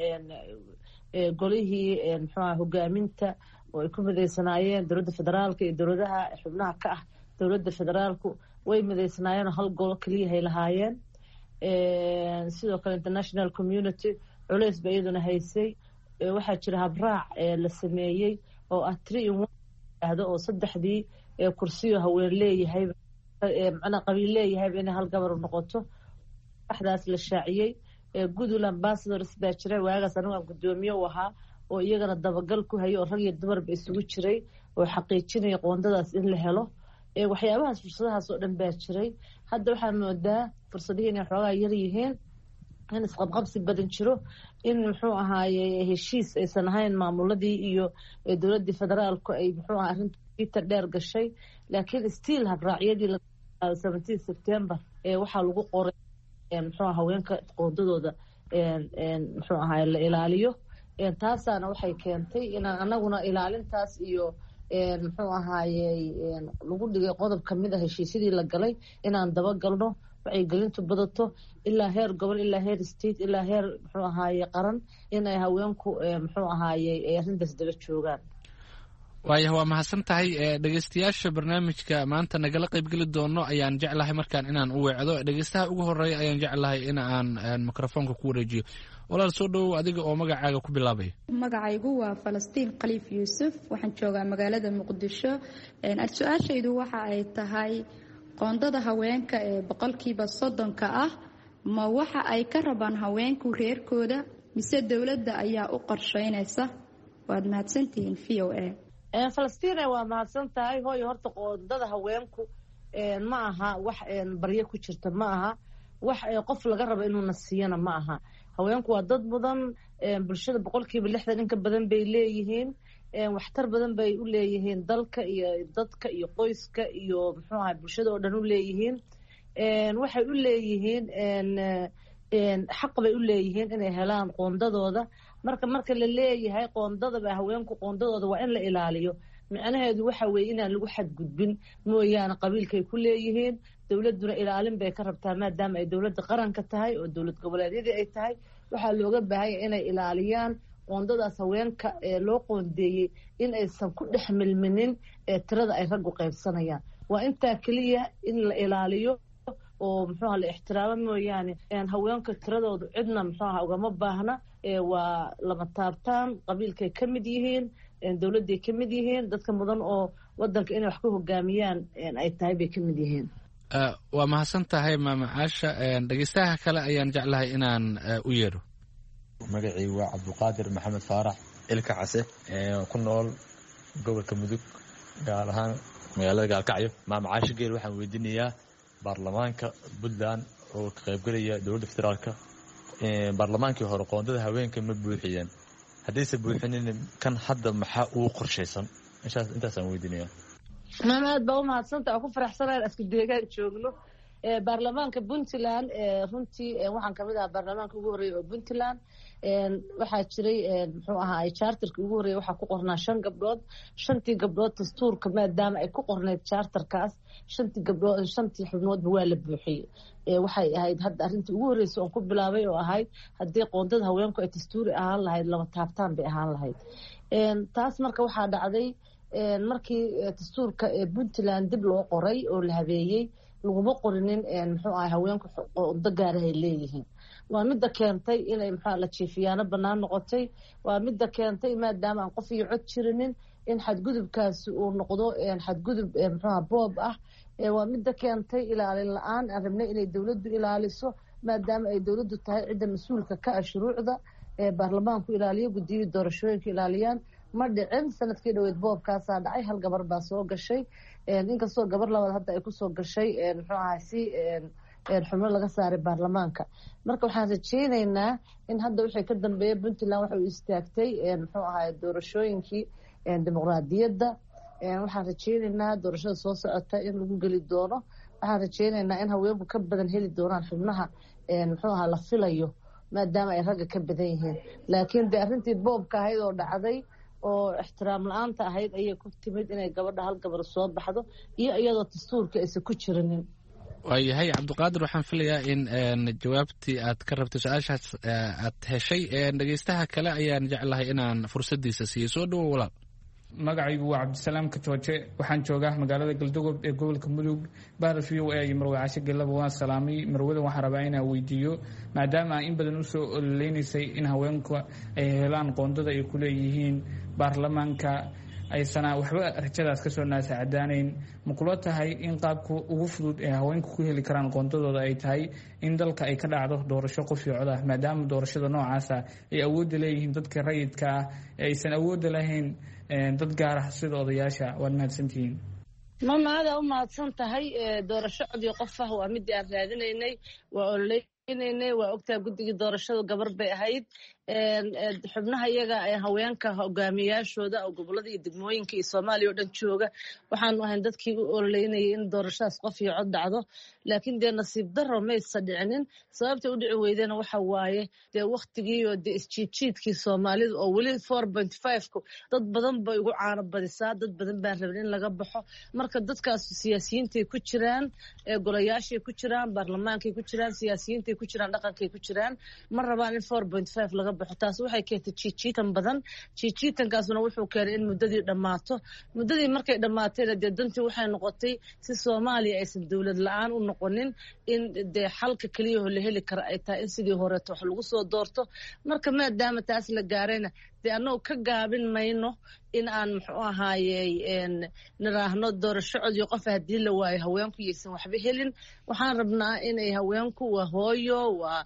golihii muxuaha hogaaminta oo ay ku midaysanaayeen dowladda federaalka iyo dowladaha xubnaha ka ah dowladda federaalku, way midaysanaayeenoo hal golo keliyahay lahaayeen. Sidoo kale international community culeys ba iyaduna haysay. Waxaa jira habraac la sameeyey oo ah three in one ahdo, oo saddexdii kursiyo haween leeyahay, macnaa qabiil leeyahayba, inay hal gabar noqoto. Waxdaas la shaaciyey, goodwill ambassadors baa jira waagaas anigu aan guddoomiye u ahaa oo iyagana dabagal ku hayay oo rag iyo dumarba isugu jiray oo xaqiijinaya qoondadaas in la helo. Waxyaabahaas fursadahaas oo dhan baa jiray. Hadda waxaa moodaa fursadihii inay xoogaa yar yihiin, in isqabqabsi badan jiro, in muxuu ahaaye heshiis aysan ahayn maamuladii iyo dowladdii federaalku ay muxuu aha arrinta dheer gashay. Laakiin still habraacyadii seventeen September ee waxaa lagu qoray Muxuu haweenka qoondadooda muxuu ahaay la ilaaliyo. Taasaana waxay keentay inaan anaguna ilaalintaas iyo muxuu ahaayey lagu dhigay qodob kamid a heshiisyadii la galay inaan dabagalno, wacyigelintu badato ilaa heer gobol, ilaa heer state, ilaa heer muxuu ahaaye qaran, inay haweenku muxuu ahaayey ay arrintaas daba joogaan. Waaya, waa mahadsan tahay. Dhegeystayaasha barnaamijka maanta nagala qaybgeli doono ayaan jeclahay markaan inaan u weecdo. Dhegeystaha ugu horeeya ayaan jeclahay in aan mikrofoonka ku wareejiyo. Walaal, soo dhowow, adiga oo magacaaga ku bilaabaya. Magacaygu waa Falastiin Khaliif Yuusuf, waxaan joogaa magaalada Muqdisho. Su-aashaydu waxa ay tahay, qoondada haweenka ee boqolkiiba soddonka ah ma waxa ay ka rabaan haweenku reerkooda mise dowladda ayaa u qorsheynaysa? Waad mahadsantihiin V O A. Falastiina, waa mahadsan tahay hooyo. Horta qoondada haweenku ma aha wax baryo ku jirta, ma aha wax qof laga rabo inuuna siiyana ma aha. Haweenku waa dad mudan, bulshada boqolkiiba lixdan in ka badan bay leeyihiin, waxtar badan bay u leeyihiin dalka iyo dadka iyo qoyska iyo muxuu ahay bulshada oo dhan u leeyihiin. Waxay u leeyihiin xaq bay u leeyihiin inay helaan qoondadooda. Marka marka la leeyahay qoondadaba haweenku qoondadooda waa in la ilaaliyo, micnaheedu waxa weeye inaan lagu xadgudbin mooyaane. Qabiilkay ku leeyihiin, dowladduna ilaalin bay ka rabtaa, maadaama ay dowladda qaranka tahay oo dowlad goboleedyadii ay tahay. Waxaa looga baahanya inay ilaaliyaan qoondadaas haweenka ee loo qoondeeyey, in aysan ku dhex milminin ee tirada ay raggu qaybsanayaan. Waa intaa keliya in la ilaaliyo oo muxuuha la ixtiraamo mooyaane, haweenka tiradoodu cidna muxuuha ugama baahna. Waa lama taabtaan, qabiilkay ka mid yihiin, dowladday ka mid yihiin, dadka mudan oo wadanka inay wax ku hogaamiyaan ay tahay bay ka mid yihiin. Waa mahadsan tahay, Maama Caasha. Dhegeystaha kale ayaan jeclahay inaan u yeedho. Magacii waa Cabduqaadir Maxamed Faarax Ilka Case, ku nool gobolka Mudug, gaar ahaan magaalada Gaalkacyo. Maama Caasha Geel waxaan weydiinayaa, baarlamaanka Puntland oo ka qaybgelaya dowladda federaalka, baarlamaankii hore qoondada haweenka ma buuxiyeen? Haddayse buuxinin, kan hadda maxaa ugu qorshaysan? Intaasaan weydiinaya. Maama, aad baa u mahadsanta. Oo ku faraxsanayn isku deegaan joogno. Baarlamaanka Puntland runtii waxaan kamid ahaa baarlamaanka ugu horreeyay oo Puntland. Waxaa jiray muxuu ahaay charterka ugu horreeyay waxaa ku qornaa shan gabdhood. Shantii gabdhood dastuurka maadaama ay ku qorneyd charterkaas, shantii gabdhood, shantii xubnoodba waa la buuxiyey. Waxay ahayd hadda arrintii ugu horreysay oon ku bilaabay oo ahayd haddii qoondada haweenku ay dastuuri ahaan lahayd, laba taabtaan bay ahaan lahayd taas. Marka waxaa dhacday markii dastuurka Puntland dib loo qoray oo la habeeyey, laguma qorinin muxuu ahay haweenku qoondo gaarahay leeyihiin. Waa midda keentay inay muxua la jiifiyaano bannaan noqotay. Waa midda keentay maadaama aan qof iyo cod jirinin in xadgudubkaasi uu noqdo xadgudub muxuuha boob ah. Waa midda keentay ilaalin la-aan aan rabnay inay dowladdu ilaaliso, maadaama ay dowladdu tahay cidda mas-uulka ka ah shuruucda ee baarlamaanku ilaaliyo, guddiyihii doorashooyinka ilaaliyaan. Ma dhicin. Sanadkii dhaweyd boobkaasaa dhacay, hal gabar baa soo gashay, inkastoo gabar labaad hadda ay kusoo gashay muxuu ahay si xubno laga saaray baarlamaanka. Marka waxaan rajeyneynaa in hadda wixii ka dambeeya Puntland waxa uu istaagtay muxuu ahay doorashooyinkii dimuqraadiyadda. Waxaan rajeyneynaa doorashada soo socota in lagu geli doono. Waxaan rajeyneynaa in haweenku ka badan heli doonaan xubnaha muxuu ahaa la filayo, maadaama ay ragga ka badan yihiin. Laakiin dee arrintii boobka ahayd oo dhacday oo ixtiraam la-aanta ahayd ayay ku timid inay gabadha hal gabar soo baxdo iyo iyadoo dastuurka aysan ku jirinin. Waayahay, Cabdiqaadir, waxaan filayaa in jawaabtii aad ka rabtay su-aashaas aad heshay. Dhegeystaha kale ayaan jeclahay inaan fursadiisa siiyo. Soo dhowo, walaal. Magacaygu waa Cabdisalaam Katooje, waxaan joogaa magaalada Galdogob ee gobolka Mudug. Bahda V O A iyo Marwe Cashe Gelaba waan salaamay. Marwada waxaan rabaa inaan weydiiyo, maadaama ay in badan usoo ololeynaysay in haweenku ay helaan qoondada ay ku leeyihiin baarlamaanka, aysana waxba rajadaas kasoo naasacadaanayn, ma kula tahay in qaabka ugu fudud ee haweenku ku heli karaan qoondadooda ay tahay in dalka ay ka dhacdo doorasho qof iyo cod ah, maadaama doorashada noocaasa ay awoodda leeyihiin dadka rayidka ah ee aysan awoodda lahayn dad gaar ah sida odayaasha? Waad mahadsantihiin. Mama, adaa u mahadsan tahay. Doorasho cod iyo qof ah waa midii aan raadinaynay, waa ololeynay, waa ogtahay guddigii doorashadu gabar bay ahayd. Xubnaha iyaga haweenka hogaamiyayaashooda oo gobolada iyo degmooyinka iyo Soomaaliya oo dhan jooga waxaanu ahayn dadkii u ololeynayay in doorashadaas qof iyo cod dhacdo, laakiin dee nasiib daro maysa dhicinin. Sababta u dhici weydena waxa waaye dee waktigiiyo dee isjiidjiidkii Soomaalida oo weli four point five-ku dad badan bay ugu caano badisaa, dad badan baan rabin in laga baxo. Marka dadkaas siyaasiyiintay ku jiraan, golayaashay ku jiraan, baarlamaankay ku jiraan, siyaasiyiintay ku jiraan, dhaqankay ku jiraan, ma rabaan in four point five laga baxo. Taas waxay keentay jiijiitan badan. Jiijiitankaasuna wuxuu keenay in muddadii dhammaato. Muddadii markay dhammaatayna dee dantii waxay noqotay si Soomaaliya aysan dowlad la-aan u noqonin in dee xalka keliyaho la heli kara ay tahay in sidii horeeto wax lagu soo doorto. Marka maadaama taas la gaarayna dee annagu ka gaabin mayno in aan muxuu ahaayey niraahno doorasho cod iyo qof haddii la waayo haweenku yaysan waxba helin. Waxaan rabnaa inay haweenku waa hooyo, waa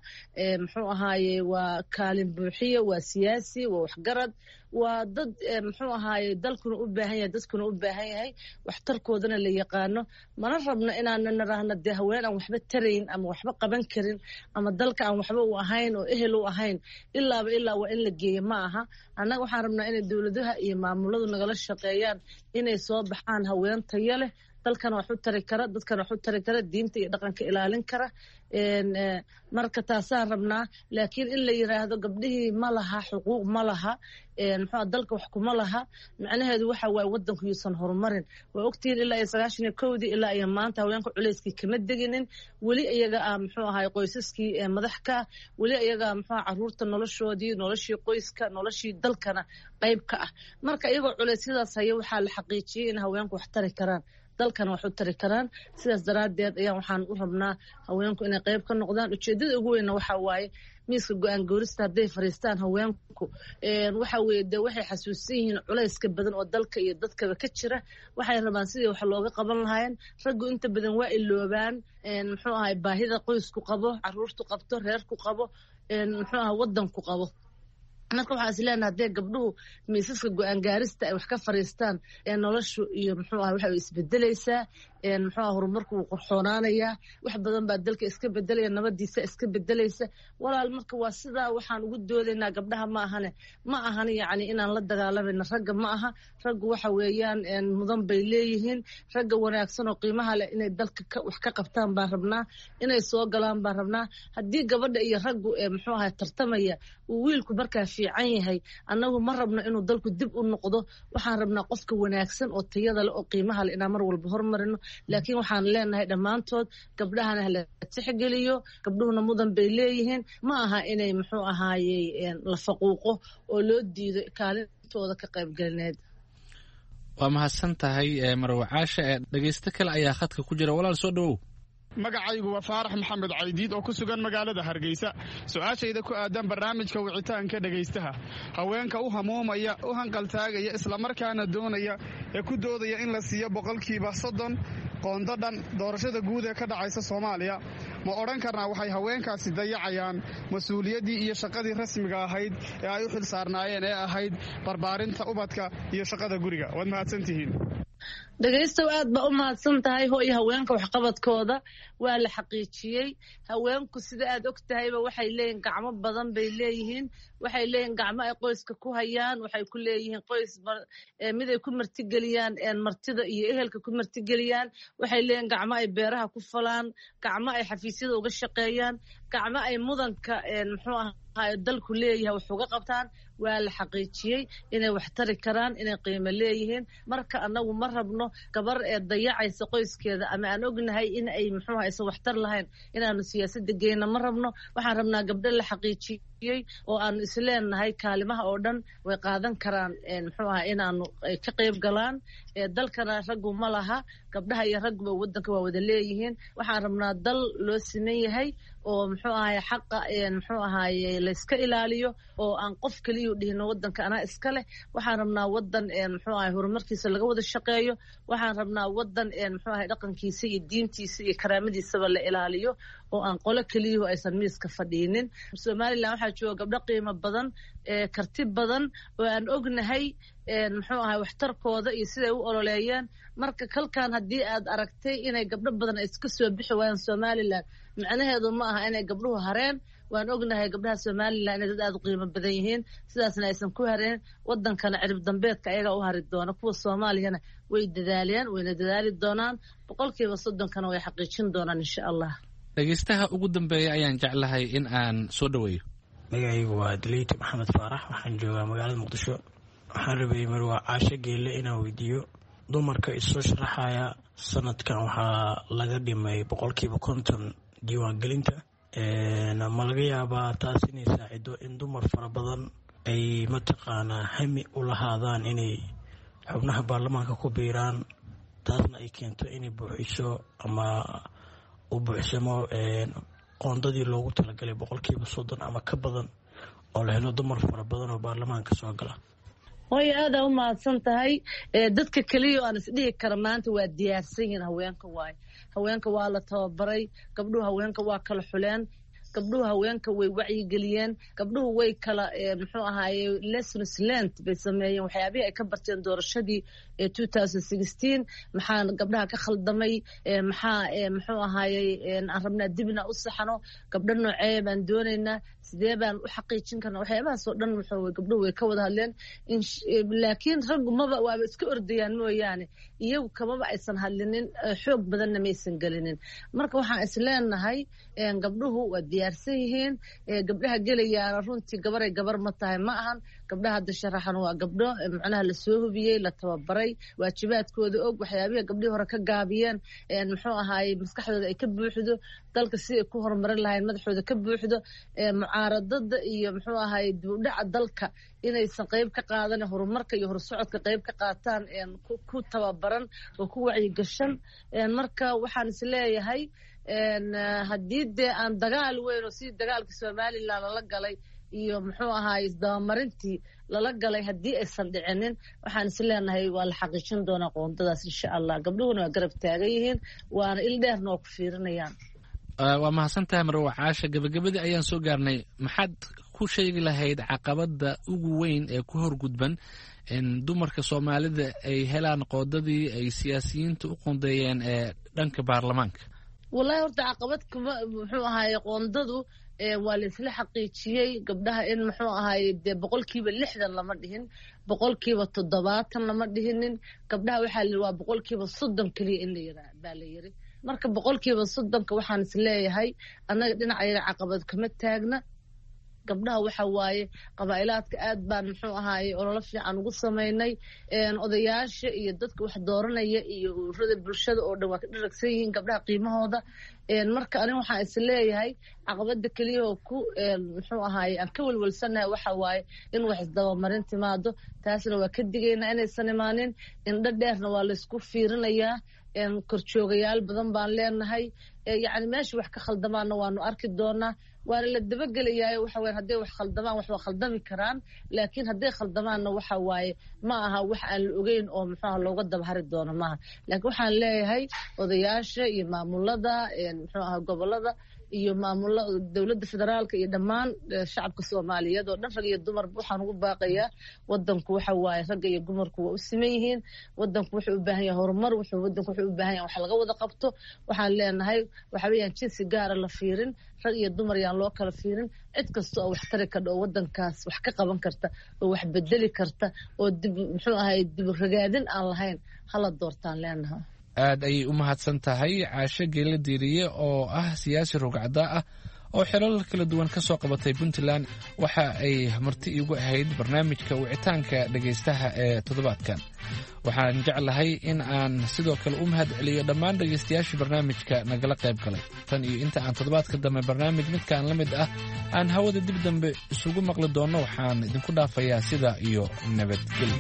muxuu ahaayey waa kaalin buuxiye, waa siyaasi, waa waxgarad, waa dad muxuu ahaaye dalkuna u baahan yahay, dadkuna u baahan yahay, waxtarkoodana la yaqaano. Mana rabno inaana niraahno dee haween aan waxba tarayn ama waxba qaban karin ama dalka aan waxba u ahayn oo ehel u ahayn ilaaba ilaa waa in la geeyo ma aha. Annaga waxaan rabnaa inay dowladaha iyo maamuladu nagala shaqeeyaan inay soo baxaan haween tayo leh, dalkana wax u tari kara, dadkana wax u tari kara, diinta iyo dhaqanka ilaalin kara. Marka taasaan rabnaa. Laakiin in la yiraahdo gabdhihii ma laha xuquuq, ma laha muxuu dalka wax kuma laha, macnaheedu waxa waaye wadanku yuusan horumarin. Waa ogtihiin ilaa iyo sagaashan iyo kowdii ilaa iyo maanta haweenka culayskii kama deginin. Weli iyaga ah muxuu ahay qoysaskii madax ka ah, weli iyaga muxuu caruurta noloshoodii, noloshii qoyska, noloshii dalkana qayb ka ah. Marka iyagoo culeysyadaas haya waxaa la xaqiijiyey in haweenku wax tari karaan, dalkana wax u tari karaan. Sidaas daraaddeed ayaan waxaan u rabnaa haweenku inay qayb ka noqdaan. Ujeeddada ugu weynna waxa waaye miiska go-aan goorista hadday fariistaan haweenku waxa weeye dee waxay xasuusan yihiin culayska badan oo dalka iyo dadkaba ka jira. Waxay rabaan sidii wax looga qaban lahaayeen. Raggu inta badan waa iloobaan muxuu ahay baahida qoysku qabo, caruurtu qabto, reerku qabo, muxuu ahay wadanku qabo. Marka waxaa is leenahay haddee gabdhuhu miisaska go-aan gaarista ay wax ka fariistaan ee noloshu iyo muxuu aha waxa isbedelaysaa, muxuu aha horumarku wuu qurxoonaanayaa, wax badan baa dalka iska bedelaya, nabadiisa iska bedelaysa. Walaal marka waa sidaa waxaan ugu doodaynaa gabdhaha ma ahane, ma ahan yacni inaan la dagaalamayno ragga ma aha. Raggu waxa weeyaan mudan bay leeyihiin. Ragga wanaagsan oo qiimaha leh inay dalka wax ka qabtaan baan rabnaa, inay soo galaan baan rabnaa. Haddii gabadha iyo raggu muxuu ahay tartamaya uu wiilku markaa fiican yahay, annagu ma rabno inuu dalku dib u noqdo. Waxaan rabnaa qofka wanaagsan oo tayada leh oo qiimaha leh inaan mar walba hormarino. Laakiin waxaan leenahay dhammaantood gabdhahana hala tixgeliyo, gabdhuhuna mudan bay leeyihiin. Ma aha inay muxuu ahaayey la faquuqo oo loo diido kaalintooda ka qaybgelineed. Waa mahadsan tahay Marwe Caasha. Ee dhegeysto kale ayaa khadka ku jira. Walaal soo dhawow. Magacaygu waa Faarax Maxamed Caydiid oo ku sugan magaalada Hargeysa. Su-aashayda ku aadan barnaamijka wicitaanka dhegaystaha, haweenka u hamuumaya, u hanqaltaagaya, islamarkaana doonaya ee ku doodaya in la siiyo boqolkiiba soddon qoondo dhan doorashada guud ee ka dhacaysa Soomaaliya, ma odhan karnaa waxay haweenkaasi dayacayaan mas-uuliyaddii iyo shaqadii rasmiga ahayd ee ay u xil saarnaayeen ee ahayd barbaarinta ubadka iyo shaqada guriga? Waad mahadsantihiin. Dhegaystow aad baa u mahadsan tahay. Hooyo, haweenka waxqabadkooda waa la xaqiijiyey. Haweenku sida aad og tahayba waxay leeyihiin gacmo badan bay leeyihiin. Waxay leeyihiin gacmo ay qoyska ku hayaan, waxay ku leeyihiin qoys mid ay ku martigeliyaan martida iyo ehelka ku martigeliyaan. Waxay leeyihiin gacmo ay beeraha ku falaan, gacmo ay xafiisyada uga shaqeeyaan, gacmo ay mudanka muxuu ahaa dalku leeyahay wax uga qabtaan. Waa la xaqiijiyey inay wax tari karaan, inay qiimo leeyihiin. Marka annagu ma rabno gabar ee dayacaysa qoyskeeda ama aan ognahay in ay muxuu aysan waxtar lahayn inaanu siyaasadda geyna ma rabno. Waxaan rabnaa gabdho la xaqiijiyey oo aanu isleenahay kaalimaha oo dhan way qaadan karaan muxuu aha inaanu ka qayb galaan. Dalkana raggu ma laha, gabdhaha iyo ragguba waddanka waa wada leeyihiin. Waxaan rabnaa dal loo siman yahay oo muxuu ahaye xaqa muxuu ahaye layska ilaaliyo oo aan qof keliya dhihino waddanka anaa iska leh. Waxaan rabnaa waddan muxuu ahay horumarkiisa laga wada shaqeeyo. Waxaan rabnaa waddan muxuu ahay dhaqankiisa iyo diintiisa iyo karaamadiisaba la ilaaliyo oo aan qolo keliyuhu aysan miiska fadhiinin. Somalilan waxaa jooga gabdho qiimo badan, karti badan oo aan ognahay muxuu ahay waxtarkooda iyo siday u ololeeyeen. Marka kalkan haddii aad aragtay inay gabdho badan ay iska soo bixi waayaan Somalilan, macnaheedu ma aha inay gabdhuhu hareen. Waan ognahay gabdhaha Somalilan inay dad aada u qiimo badan yihiin, sidaasna aysan ku hareen. Wadankana cirib dambeedka ayagaa u hari doona. Kuwa Soomaaliyana way dadaaleen, wayna dadaali doonaan, boqolkiiba soddonkana way xaqiijin doonaan insha Allah. Dhegeystaha ugu dambeeya ayaan jeclahay in aan soo dhaweeyo. Magacaygu waa Daleyte Maxamed Faarax, waxaan joogaa magaalada Muqdisho. Waxaan rabayay Marwa Caasho Geelle inaan weydiiyo, dumarka isoo sharaxaya sanadkan waxaa laga dhimay boqolkiiba konton diiwaangelinta, ma laga yaabaa taas inay saacido in dumar fara badan ay mataqaanaa hami u lahaadaan inay xubnaha baarlamaanka ku biiraan, taasna ay keento inay buuxiso ama u buuxsamo qoondadii loogu talagalay boqolkiiba soddon ama ka badan, oo la helo dumar fara badan oo baarlamaanka soo gala? Hooyo, aadaa u mahadsan tahay. Dadka keliya oo aan isdhihi kara maanta waa diyaarsan yihiin haweenka waaye. Haweenka waa la tababaray, gabdhuhu haweenka waa kala xuleen, gabdhuhu haweenka way wacyigeliyeen, gabdhuhu way kala muxuu ahaaye lessons learned bay sameeyeen, waxyaabihii ay ka barteen doorashadii two thousand sixteen. Maxaa gabdhaha ka khaldamay? Maxaa muxuu ahaayey aan rabnaa dibna u saxno? Gabdho noocee baan doonaynaa? Sidee baan u xaqiijin karnaa? Waxyaabahaas oo dhan muxuu gabdhuhu way ka wada hadleen. Laakiin raggu maba waaba iska ordayaan mooyaane, iyagu kamaba aysan hadlinin, xoog badanna maysan gelinin. Marka waxaan is leenahay gabdhuhu waa diyaarsan yihiin. Gabdhaha gelayaana runtii gabaray gabar ma tahay, ma ahan. Gabdhaha hadda sharaxan waa gabdho macnaha lasoo hubiyey, la tababaray, waajibaadkooda og, waxyaabihii gabdhihii hore ka gaabiyeen muxuu ahaayey maskaxdooda ay ka buuxdo, dalka si ay ku horumarin lahayn madaxooda ka buuxdo, mucaaradada iyo muxuu ahaayey dib u dhaca dalka inaysan qayb ka qaadan, horumarka iyo horsocodka qayb ka qaataan, ku tababaran oo ku wacyigashan. Marka waxaan is leeyahay haddii dee aan dagaal weyn oo sidii dagaalka Somalilan lala galay iyo muxuu ahaay isdabamarintii lala galay haddii aysan dhicinin, waxaan is leenahay waa la xaqiijin doonaa qoondadaas insha Allah. Gabdhuhuna waa garab taagan yihiin, waana il dheerna waa ku fiirinayaan. Waa mahadsan tahay Marwa Caasha. Gabagabadii ayaan soo gaarnay. Maxaad ku sheegi lahayd caqabada ugu weyn ee ku horgudban in dumarka Soomaalida ay helaan qoodadii ay siyaasiyiinta u qoondeeyeen ee dhanka baarlamaanka? Wallahi horta caqabad kuma muxuu ahaaye qoondadu waa la isla xaqiijiyey gabdhaha in muxuu ahaaye dee boqolkiiba lixdan lama dhihin, boqolkiiba toddobaatan lama dhihinin. Gabdhaha waxaa la waa boqolkiiba soddon keliya in la yiraa baa la yiri. Marka boqolkiiba soddonka waxaan is leeyahay annaga dhinacayaga caqabad kama taagna. Gabdhaha waxa waaye qabaa'ilaadka aad baan muxuu ahaaye ololo fiican ugu samaynay. Odayaasha iyo dadka wax dooranaya iyo ururada bulshada oo dhan waa ka dharagsan yihiin gabdhaha qiimahooda. Marka aniga waxaan is leeyahay caqabada keliya oo ku muxuu ahaaye aan ka welwelsanahay waxa waaye in wax isdabamarin timaado, taasna waa ka digaynaa inaysan imaanin. Indho dheerna waa laysku fiirinayaa, korjoogayaal badan baan leenahay, yacni meesha wax ka khaldamaanna waanu arki doonaa, waana la dabagelayaa. Waxa weyan hadday wax khaldamaan wax waa khaldami karaan, laakiin hadday khaldamaanna waxa waaye ma aha wax aan la ogeyn oo muxuuha looga dabahari doono maaha. Laakiin waxaan leeyahay odayaasha iyo maamulada muxuu aha gobolada iyo maamula dowladda federaalka iyo dhammaan shacabka Soomaaliyeed oo dhan, rag iyo dumarba, waxaan ugu baaqayaa wadanku waxa waaye ragga iyo dumarku waa u siman yihiin. Wadanku wuxuu u baahan yahay horumar, wuxuu wadanku wuxuu u baahan yahay wax laga wada qabto. Waxaan leenahay waxa weeyaan jinsi gaara la fiirin, rag iyo dumar yaan loo kala fiirin. Cid kasta oo wax tari karta oo wadankaas wax ka qaban karta oo wax bedeli karta oo dib muxuu ahay dib ragaadin aan lahayn hala doortaan leenahay. Aad ayay u mahadsan tahay Caasho Geele Diiriye oo ah siyaasi rogcaddaa ah oo xilal kala duwan ka soo qabatay Puntland. Waxa ay marti iigu ahayd barnaamijka wicitaanka dhegaystaha ee toddobaadkan. Waxaan jeclahay in aan sidoo kale u mahad celiyo dhammaan dhegaystayaashii barnaamijka nagala qayb galay. Tan iyo inta aan toddobaadka dambe barnaamij midkaan la mid ah aan hawada dib dambe isugu maqli doonno, waxaan idinku dhaafayaa sidaa iyo nabadgelyo.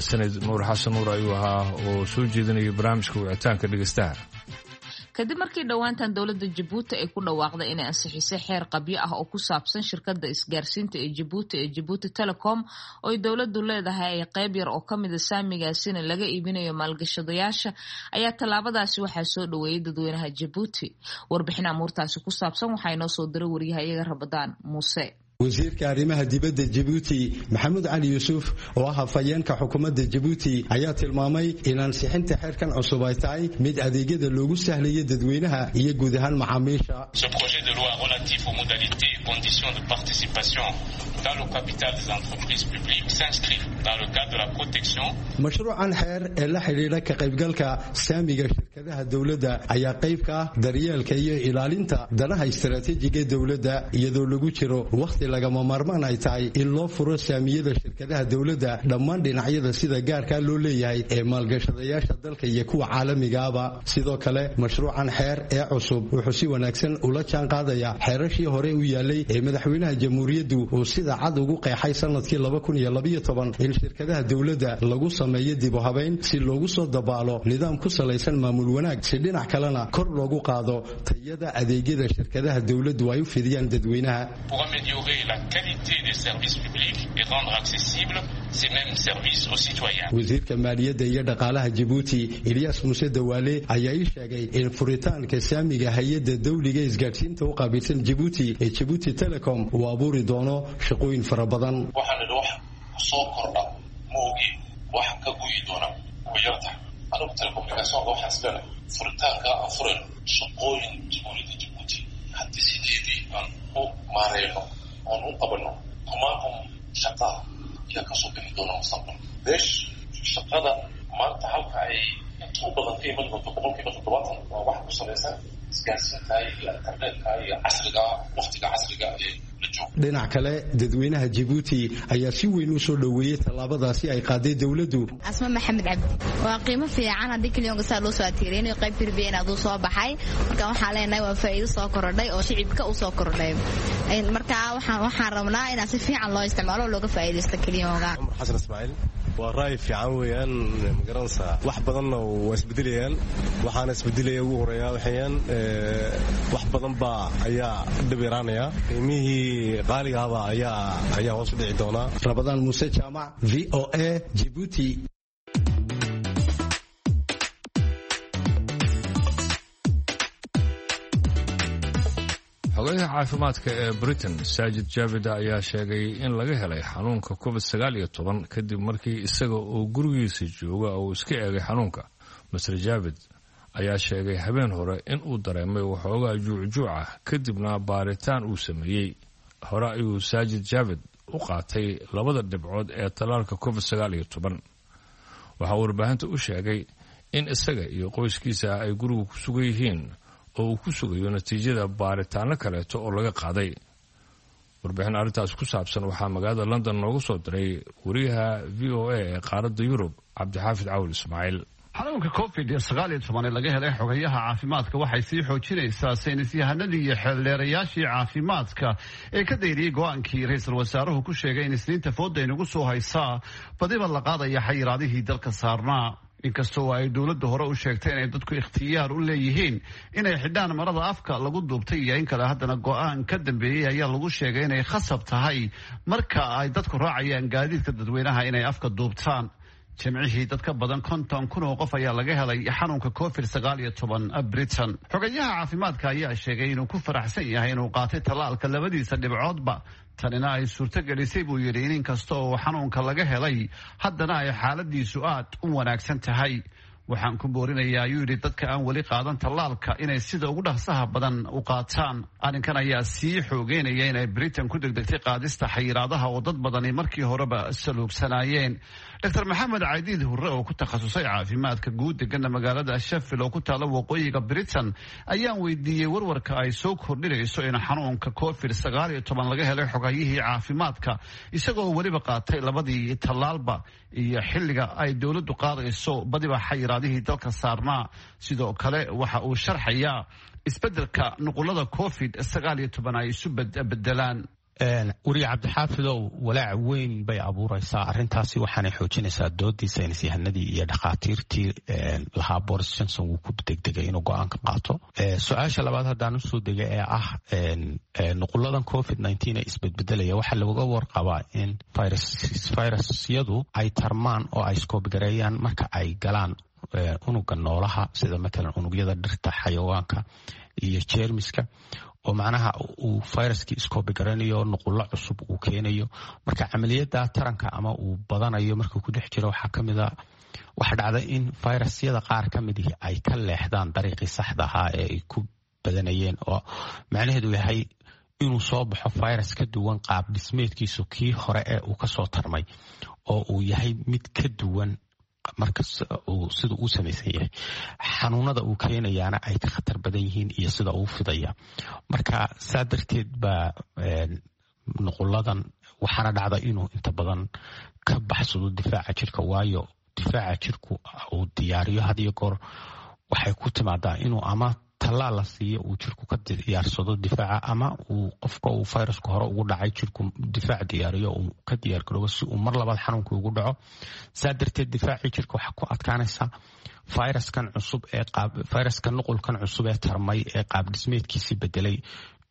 Sanad Nuur Xasan Nuur ayuu ahaa oo soo jeedinaya barnaamijka wicitaanka dhegeystaha. Kadib markii dhowaantan dowladda Jabuuti ay ku dhawaaqday inay ansixisay xeer qabyo ah oo ku saabsan shirkadda isgaarsiinta ee Jabuuti ee Jabuuti Telecom oo ay dowladdu leedahay ay qayb yar oo ka mida saamigaasina laga iibinayo maalgashadayaasha, ayaa tallaabadaasi waxaa soo dhoweeyay dadweynaha Jabuuti. Warbixin amuurtaasi ku saabsan waxaa inoo soo diray wariyaha iyaga Rabadaan Muuse. Wasiirka arrimaha dibadda Jabuuti Maxamuud Cali Yuusuf oo ah hafayeenka xukuumadda Jabuuti ayaa tilmaamay in ansixinta xeerkan cusub ay tahay mid adeegyada loogu sahlayo dadweynaha iyo guud ahaan macaamiisha. Ce projet de loi relatif aux modalités et conditions de participation dans le capital des entreprises publiques s'inscrit dans le cadre de la protection. Mashruucan xeer ee la xidhiidha ka qaybgalka saamiga shirkadaha dowladda ayaa qayb ka ah daryeelka iyo ilaalinta danaha istaraatiijiga dowladda, iyadoo lagu jiro wakhti lagama maarmaan ay tahay in loo furo saamiyada shirkadaha dowladda dhammaan dhinacyada sida gaarkaa loo leeyahay ee maalgashadayaasha dalka iyo kuwa caalamigaaba. Sidoo kale mashruucan xeer ee cusub wuxuu si wanaagsan ula jaan qaadaya xeerashii hore u yaalay ee madaxweynaha jamhuuriyaddu uu sida cad ugu qeexay sanadkii in shirkadaha dowladda lagu sameeyo dib u habayn si loogu soo dabaalo nidaam ku salaysan maamul wanaag, si dhinac kalena kor loogu qaado tayada adeegyada shirkadaha dowladdu ay u fidiyaan dadweynaha. Pour améliorer la qualité des services publics et rendre accessibles ces mêmes services aux citoyens. Wasiirka maaliyadda iyo dhaqaalaha Jabuuti Ilyas Muuse Dawaale ayaa ii sheegay in furitaanka saamiga hay-adda dawliga isgaadhsiinta u qaabilsan Jabuuti ee Jabuuti Telecom uu abuuri doono shaqooyin fara badan. Soo kordha ma ogi wax ka guyi doona way yartahay. Anigu telecommunicationka waxaan islenahay furitaanka aan furayno shaqooyin jamhuuriyadda Jabuuti haddii sideedii aan u maareyno oon u qabano kumaankum shaqaa ayaa kasoo bixi doona mustaqbalka. Beesh shaqada maanta halka ay inta u badan ka iman doonto boqolkiiba toddobaatan waa wax ku salaysan isgaarsiinta iyo internetka iyo casriga waqtiga casriga ee. Dhinac kale dadweynaha Jabuuti ayaa si weyn u soo dhoweeyey tallaabadaasi ay qaaday dowladdu. Asma Maxamed Cabdi: waa qiimo fiican haddii kalyoonka saa loo soo atiireenayo qayb tirbiya inaad uu soo baxay. Marka waxaan leenahay waa faa'iido soo korodhay oo shicibka u soo kordhay. Marka waxaan waxaan rabnaa inaan si fiican loo isticmaalo oo looga faa'iidaysto kalyoonka. Cumar Xasan Ismaaciil: waa ra'yi fiican weeyaan, magaranaysaa, wax badanna waa isbedelayaan. Waxaana isbedelaya ugu horeeya waxayaan wax badan baa ayaa dhib yaraanaya, qiimihii qaaliga ahba ayaa ayaa hoos u dhici doonaa. Rabadaan Muuse Jaamac, V O A, Djibouti. Xogayaha caafimaadka ee Britain Saajid Javid ayaa sheegay in laga helay xanuunka covid sagaal iyo toban kadib markii isaga oo gurigiisa jooga uu iska eegay xanuunka. Master Javid ayaa sheegay habeen hore in uu dareemay waxoogaa juucjuuc ah kadibna baaritaan uu sameeyey. Hore ayuu Saajid Javid u qaatay labada dhibcood ee tallaalka covid sagaal iyo toban. Waxaa uu warbaahinta u sheegay in isaga iyo qoyskiisa ay guriga ku sugan yihiin oo uu ku sugayo natiijada baaritaano kaleeto oo laga qaaday. Warbixin arrintaas ku saabsan waxaa magaalada London noogu soo diray wariyaha V O A ee qaaradda Yurub Cabdixaafid Cawil Ismaaciil. Xanuunka covid sagaal iyo toban ee laga helay xogayaha caafimaadka waxay sii xoojinaysaa saynisyahanadii iyo xeeldheerayaashii caafimaadka ee ka dayriyey go-aankii ra-iisul wasaaruhu ku sheegay in isniinta fooda aynagu soo haysaa badiba la qaadaya xayiraadihii dalka saarnaa. Inkastoo ay dowladda hore u sheegtay inay dadku ikhtiyaar u leeyihiin inay xidhaan marada afka lagu duubtay iyo in kale, haddana go-aan ka dambeeyey ayaa lagu sheegay inay khasab tahay marka ay dadku raacayaan gaadiidka dadweynaha inay afka duubtaan. Jimcihii dad ka badan konton kun oo qof ayaa laga helay xanuunka covid sagaal iyo toban Britain. Xogayaha caafimaadka ayaa sheegay inuu ku faraxsan yahay inuu qaatay tallaalka labadiisa dhibcoodba, tanina ay suurto gelisay buu yidhi in inkasta oo xanuunka laga helay haddana ay xaaladiisu aad u wanaagsan tahay. Waxaan ku boorinayaa, ayuu yidhi, dadka aan weli qaadan tallaalka inay sida ugu dhaqsaha badan u qaataan. Arrinkan ayaa sii xoogeynaya inay Britain ku degdegtay qaadista xayiraadaha oo dad badani markii horeba saluugsanaayeen. Doctor Maxamed Cadiid Hurre oo ku takhasusay caafimaadka guud degana magaalada Sheffield oo ku taala waqooyiga Britain ayaan weydiiyey warwarka ay soo kordhinayso in xanuunka covid sagaal iyo toban laga helay xogayihii caafimaadka isagoo weliba qaatay labadii tallaalba iyo xilliga ay dowladdu qaadayso badiba xayiraadihii dalka saarnaa. Sidoo kale waxa uu sharxayaa isbeddelka nuqulada covid sagaal iyo toban ay isu bedelaan. Weriye Cabdixaafidow, walaac weyn bay abuureysaa arrintaasi, waxaanay xoojinaysaa doodii saynisyahanadii iyo dhakhaatiirtii lahaa Boris Johnson wuu ku degdegay inuu go-aanka qaato. Su-aasha labaad haddaan usoo dega ee ah nuquladan covid nineteen ee isbedbedelaya, waxaa looga warqabaa in virusyadu ay tarmaan oo ay iskoobigareeyaan marka ay galaan unuga noolaha, sida matalan unugyada dhirta, xayawaanka iyo jeermiska, Oo macnaha uu viruskii iskoobi garanayo, nuqullo cusub uu keenayo. Marka camaliyada taranka ama uu badanayo markuu ku dhex jiro, waxaa kamid a waxaa dhacda in virusyada qaar ka mid ihi ay ka leexdaan dariiqii saxda ahaa ee ay ku badanayeen, oo macnaheedu yahay inuu soo baxo virus ka duwan qaab dhismeedkiisu kii hore ee uu kasoo tarmay, oo uu yahay mid ka duwan marka sida uu samaysan yahay, xanuunada uu keenayaana ay ka khatar badan yihiin iyo sida uu fidaya. Marka saa darteed baa nuquladan waxaana dhacda inuu inta badan ka baxsado difaaca jirka, waayo difaaca jirku uu diyaariyo had iyo goor waxay ku timaadaa inuu ama tallaal la siiyo uu jirku ka diyaarsado difaaca, ama uu qofka uu virusku hore ugu dhacay jirku difaac diyaariyo, uu ka diyaargaroobo si uu mar labaad xanuunka ugu dhaco. Saa darteed difaacii jirka waxaa ku adkaanaysa viruskan cusub ee viruskan nuqulkan cusub ee tarmay ee qaab dhismeedkiisii bedelay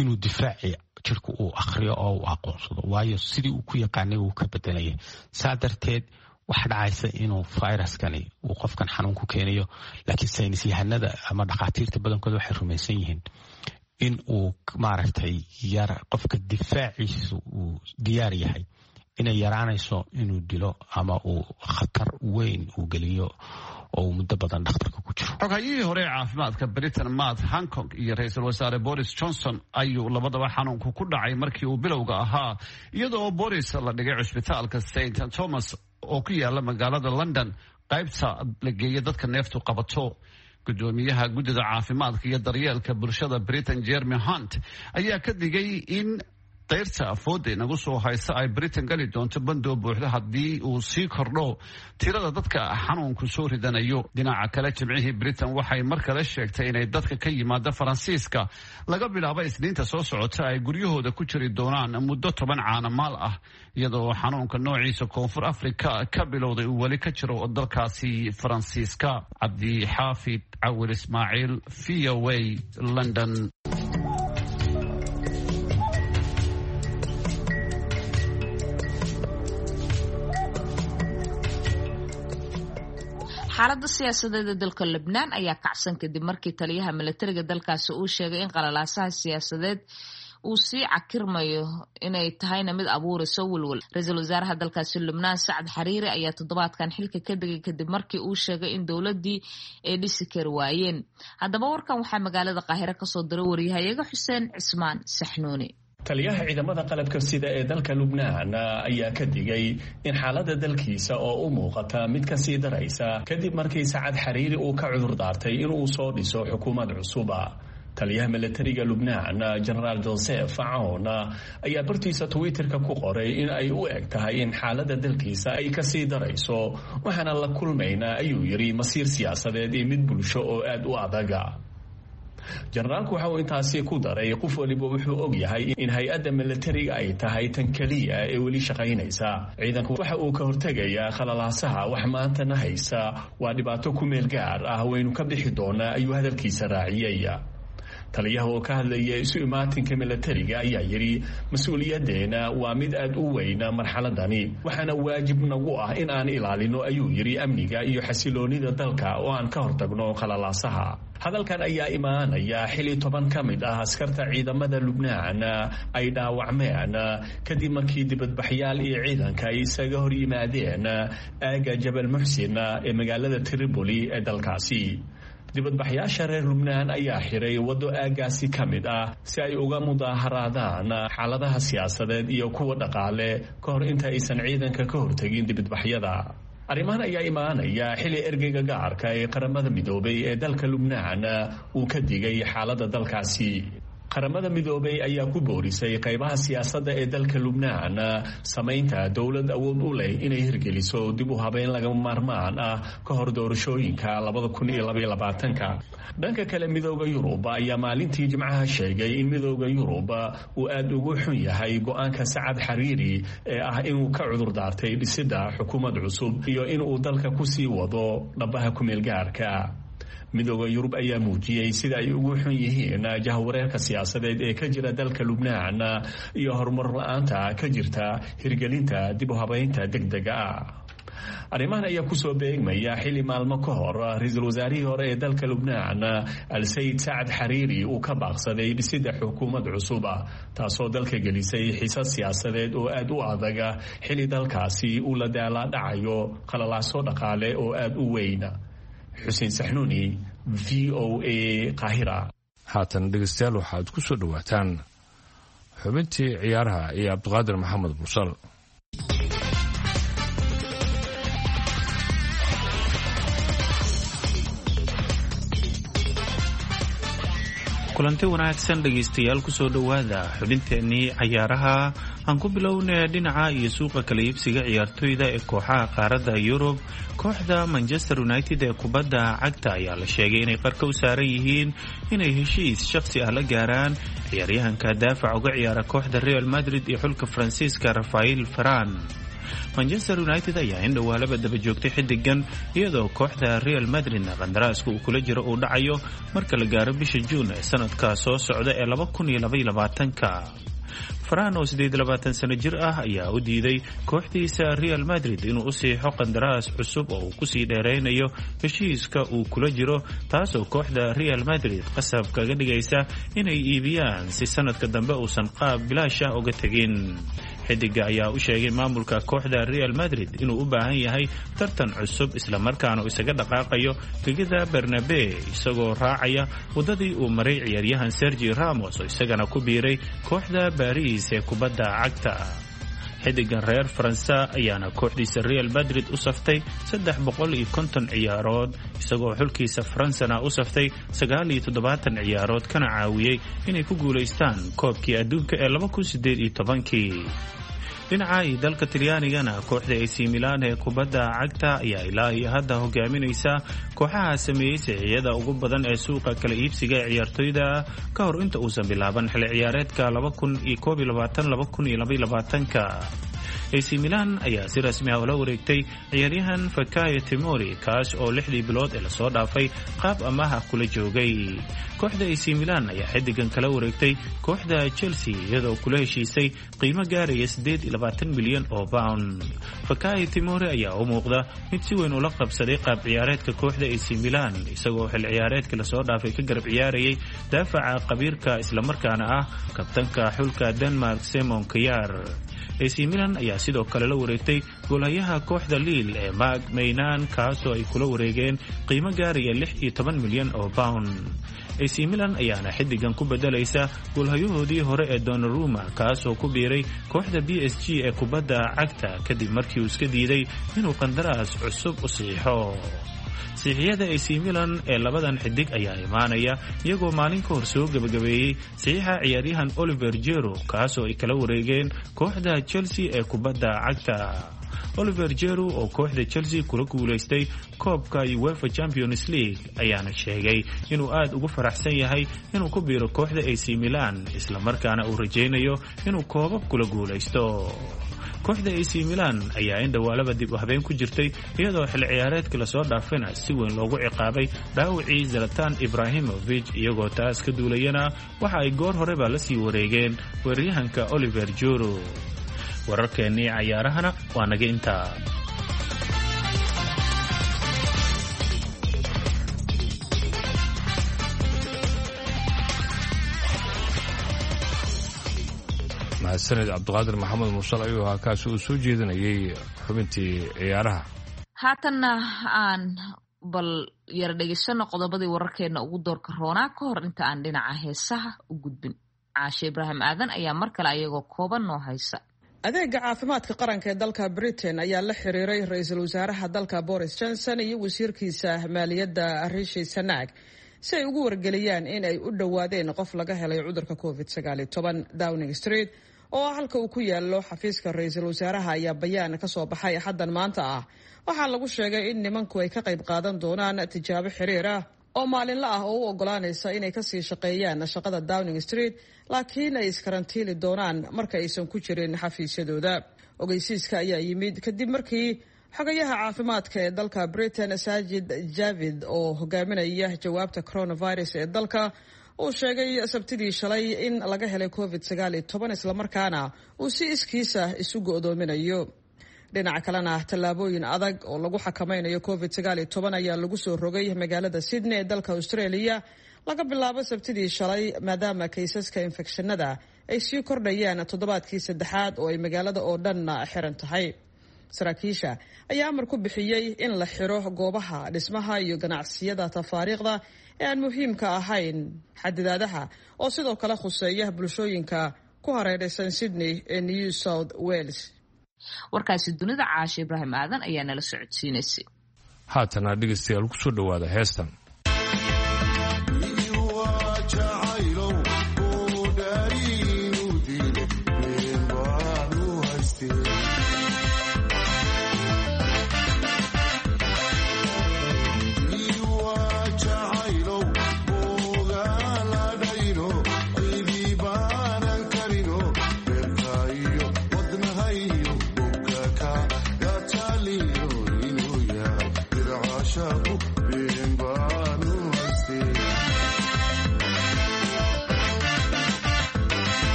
inuu difaaci jirku uu akhriyo oo uu aqoonsado, waayo sidii uu ku yaqaanay wuu ka bedelaya. Saa darteed waxaa dhacaysa inuu viruskani uu qofkan xanuun ku keenayo. Laakiin saynis yahanada ama dhakhaatiirta badankooda waxay rumaysan yihiin in uu maaragtay yar qofka difaaciisu uu diyaar yahay inay yaraanayso inuu dilo ama uu khatar weyn uu geliyo oo uu muddo badan dhakhtarka ku jiro. Xogharyihii hore ee caafimaadka Britain Matt Hancock iyo ra-iisul wasaare Boris Johnson ayuu labadaba xanuunku ku dhacay markii uu bilowga ahaa, iyadoo Boris la dhigay cusbitaalka Saint Thomas oo ku yaala magaalada London, qaybta la geeya dadka neeftu qabato. Gudoomiyaha guddida caafimaadka iyo daryeelka bulshada Britain Jeremy Hunt ayaa ka digay in dayrta afooda inagu soo haysa ay Britain gali doonto bandoo buuxda haddii uu sii kordho tirada dadka xanuunku soo ridanayo. Dhinaca kale, jimcihii Britain waxay mar kale sheegtay inay dadka ka yimaada Faransiiska laga bilaabo Isniinta soo socota ay guryahooda ku jiri doonaan muddo toban caanamaal ah, iyadoo xanuunka noociisa Koonfur Africa ka bilowday uu weli ka jiro dalkaasi Faransiiska. Cabdixaafid Cawil Ismaaciil, V O A, London. Xaaladda siyaasadeed ee dalka Lebnaan ayaa kacsan kadib markii taliyaha milatariga dalkaasi uu sheegay in qalalaasaha siyaasadeed uu sii cakirmayo inay tahayna mid abuurayso welwel. Ra-iisul wasaaraha dalkaasi Lubnaan Sacad Xariiri ayaa toddobaadkan xilka ka degay kadib markii uu sheegay in dowladdii ay dhisi kari waayeen. Haddaba warkan waxaa magaalada Qaahire kasoo diray waryahayaga Xuseen Cismaan Saxnuuni. Taliyaha ciidamada qalabka sida ee dalka Lubnaan ayaa ka digay in xaaladda dalkiisa oo u muuqata mid ka sii daraysa kadib markii Sacad Xariiri uu ka cudur daartay inuu soo dhiso xukuumad cusuba. Taliyaha milatariga Lubnaan Jenaraal Joseph Cawn ayaa bartiisa Twitterka ku qoray in ay u eg tahay in xaaladda dalkiisa ay ka sii darayso, waxaana la kulmaynaa, ayuu yidhi, masiir siyaasadeed iyo mid bulsho oo aad u adaga. Jenaraalku waxa uu intaasi ku daray, qof waliba wuxuu og yahay in hay-adda milatariga ay tahay tan keliya ee weli shaqaynaysa. Ciidanku waxa uu ka hortegayaa khalalaasaha. Wax maantana haysa waa dhibaato ku meel gaar ah, waynu ka bixi doonaa, ayuu hadalkiisa raaciyey. Taliyaha oo ka hadlaya isu imaatinka milatariga ayaa yidhi, mas-uuliyaddeena waa mid aad u weyna marxaladani, waxaana waajib nagu ah in aan ilaalino, ayuu yidhi, amniga iyo xasiloonida dalka oo aan ka hortagno khalalaasaha. Hadalkan ayaa imaanaya xili toban ka mid ah askarta ciidamada Lubnaan ay dhaawacmeen kadib markii dibadbaxyaal iyo ciidanka ay isaga hor yimaadeen aagga Jabal Muxsin ee magaalada Tripoli ee dalkaasi. Dibadbaxyaasha reer Lubnaan ayaa xiray waddo aaggaasi ka mid ah si ay uga mudaaharaadaan xaaladaha siyaasadeed iyo kuwa dhaqaale ka hor inta aysan ciidanka ka hortegin dibadbaxyada. Arrimahan ayaa imaanaya xili ergeyga gaarka ee Qaramada Midoobay ee dalka Lubnaan uu ka digay xaaladda dalkaasi. Qaramada Midoobay ayaa ku boorisay qaybaha siyaasadda ee dalka Lubnaan samaynta dowlad awood u leh inay hirgeliso dib u habeyn lagama maarmaan ah ka hor doorashooyinka labada kun iyo labaiyo labaatanka. Dhanka kale, Midooda Yurub ayaa maalintii Jimcaha sheegay in Midooda Yurub uu aada ugu xun yahay go-aanka Sacad Xariiri ee ah inuu ka cudur daartay dhisidda xukuumad cusub iyo inuu dalka kusii wado dhabaha kumeelgaarka. Midooda Yurub ayaa muujiyey sida ay ugu xun yihiin jahwareerka siyaasadeed ee ka jira dalka Lubnaan iyo horumar la-aanta ka jirta hirgelinta dib u habeynta degdega ah. Arrimahan ayaa kusoo beegmaya xilli maalmo ka hor ra-iisul wasaarihii hore ee dalka Lubnaan Al-Sayid Sacad Xariiri uu ka baaqsaday dhisidda xukuumad cusub, taasoo dalka gelisay xiisad siyaasadeed oo aad u adaga xilli dalkaasi uu la daalaadhacayo qalalaaso dhaqaale oo aad u weyn. Xuseen Saxnuuni, V O A, Qaahira. Haatan dhegeystayaal waxaad ku soo dhowaataan xubintii ciyaaraha iyo Cabdiqaadir Maxamed Mursal. Kulanti wanaagsan dhegaystayaal, kusoo dhowaada xubinteennii cayaaraha. Aan ku bilownay dhinaca iyo suuqa kala iibsiga ciyaartoyda ee kooxaha qaaradda Yurub. Kooxda Manchester United ee kubadda cagta ayaa la sheegay inay qarka u saaran yihiin inay heshiis shakhsi ah la gaaraan ciyaaryahanka daafac uga ciyaara kooxda Real Madrid iyo xulka Faransiiska Rafael Varane. Manchester United ayaa in dhowaalaba daba joogtay xiddigan, iyadoo kooxda Real Madridna qandaraaska uu kula jiro uu dhacayo marka la gaaro bisha Juun ee sanadka soo socda ee laba kun iyo laba iyo labaatanka. Varane oo siddeed iyo labaatan sano jir ah ayaa u diiday kooxdiisa Real Madrid inuu u siixo qandaraas cusub oo uu kusii dheeraynayo heshiiska uu kula jiro, taasoo kooxda Real Madrid qasab kaga dhigaysa inay iibiyaan si sanadka dambe uusan qaab bilaash ah uga tegin. Xidiga ayaa u sheegay maamulka kooxda Real Madrid inuu u baahan yahay tartan cusub, islamarkaana uu isaga dhaqaaqayo gegida Bernabe, isagoo raacaya waddadii uu maray ciyaaryahan Sergi Ramos oo isagana ku biiray kooxda Baris ee kubadda cagta. Xidigan reer Faransa ayaana kooxdiisa Real Madrid u saftay saddex boqol iyo konton ciyaarood, isagoo xulkiisa Faransana u saftay sagaal iyo toddobaatan ciyaarood, kana caawiyey inay ku guulaystaan koobkii adduunka ee laba kun siddeed iyo tobankii. Dhinaca iyo dalka Talyaanigana, kooxda A C Milan ee kubadda cagta ayaa ilaa iyo hadda hogaaminaysa kooxaha sameeyey sixiyada ugu badan ee suuqa kala iibsiga ee ciyaartoyda ka hor inta uusan bilaaban xilli ciyaareedka laba kun iyo koob iyo labaatan laba kun iyo laba iyo labaatanka. A C Milan ayaa si rasmi ah ula wareegtay ciyaaryahan Fakayo Timori, kaas oo lixdii bilood ee lasoo dhaafay qaab amaah kula joogay. Kooxda A C Milan ayaa xiddigan kala wareegtay kooxda Chelsea, iyadoo kula heshiisay qiimo gaaraya siddeed iyo labaatan milyan oo pound. Fakayo Timori ayaa u muuqda mid si weyn ula qabsaday qaab ciyaareedka kooxda A C Milan, isagoo xil ciyaareedka lasoo dhaafay ka garab ciyaarayay daafaca qabiirka islamarkaana ah kabtanka xulka Denmark Simon Kjaer. A C Milan ayaa sidoo kale la wareegtay goolhayaha kooxda Lille ee Marc Maignan, kaasoo ay kula wareegeen qiimo gaaraya lix iyo toban milyan oo pound. A C Milan ayaana xiddigan ku bedelaysa goolhayahoodii hore ee Donnarumma, kaasoo ku biiray kooxda B S G ee kubadda cagta kadib markii uu iska diiday inuu qandaraas cusub u siixo. Siixiyada A C Milan ee labadan xidig ayaa imaanaya iyagoo maalin ka hor soo gebagabeeyey saxiixa ciyaaryahan Oliver Giroud, kaasoo ay kala wareegeen kooxda Chelsea ee kubadda cagta. Oliver Giroud oo kooxda Chelsea kula guulaystay koobka UEFA Champions League ayaana sheegay inuu aad ugu faraxsan yahay inuu ku biiro kooxda A C Milan, islamarkaana uu rajaynayo inuu koobab kula guulaysto. Kooxda A C Milan ayaa in dhowaalaba dib u habeen ku jirtay, iyadoo xil ciyaareedkii lasoo dhaafayna si weyn loogu ciqaabay dhaawacii Zlatan Ibrahimovic, iyagoo taas ka duulayana waxa ay goor horeba la sii wareegeen weeraryahanka Oliver Giroud. Wararkeennii cayaarahana waa naga intaa. Mahadsanid Cabdiqaadir Maxamed Mursal ayuu ahaa kaasi uu soo jeedinayay xubintii ciyaaraha. Haatanna aan bal yara dhegaysano qodobadii wararkeena ugu doorka roonaa ka hor inta aan dhinaca heesaha u gudbin. Caashe Ibraahim Aadan ayaa mar kale ayagoo kooban noo haysa. Adeega caafimaadka qaranka ee dalka Britain ayaa la xiriiray ra-iisul wasaaraha dalka Boris Johnson iyo wasiirkiisa maaliyadda Rishi Sunak si ay ugu wargeliyaan in ay u dhowaadeen qof laga helay cudurka covid sagaal iyo toban. Downing Street oo ah halka uu ku yaalo xafiiska ra-iisul wasaaraha ayaa bayaan ka soo baxay axaddan maanta ah. Waxaa lagu sheegay in nimanku ay ka qayb qaadan doonaan tijaabo xiriir ah oo maalinla ah oo u ogolaanaysa inay kasii shaqeeyaan shaqada Downing Street, laakiin ay iskarantiili doonaan marka aysan ku jirin xafiisyadooda. Ogeysiiska ayaa yimid kadib markii xogayaha caafimaadka ee dalka Britain Sajid Javid oo hogaaminaya jawaabta coronavirus ee dalka uu sheegay sabtidii shalay in laga helay covid sagaal iyo toban, islamarkaana uu si iskiisa isu go'doominayo. Dhinaca kalena tallaabooyin adag oo lagu xakameynayo covid sagaal iyo toban ayaa lagu soo rogay magaalada Sydney ee dalka Australia laga bilaabo Sabtidii shalay, maadaama kaysaska infekshanada ay sii kordhayaan toddobaadkii saddexaad oo ay magaalada oo dhanna xiran tahay. Saraakiisha ayaa amar ku bixiyey in la xiro goobaha dhismaha iyo ganacsiyada tafaariiqda ee aan muhiimka ahayn. Xadidaadaha oo sidoo kale khuseeya bulshooyinka ku hareeraysan Sydney ee New South Wales. Warkaasi dunida Caashe Ibraahim Aadan ayaa nala socodsiinaysay. Haatana dhegeystayaal ku soo dhowaada heestan.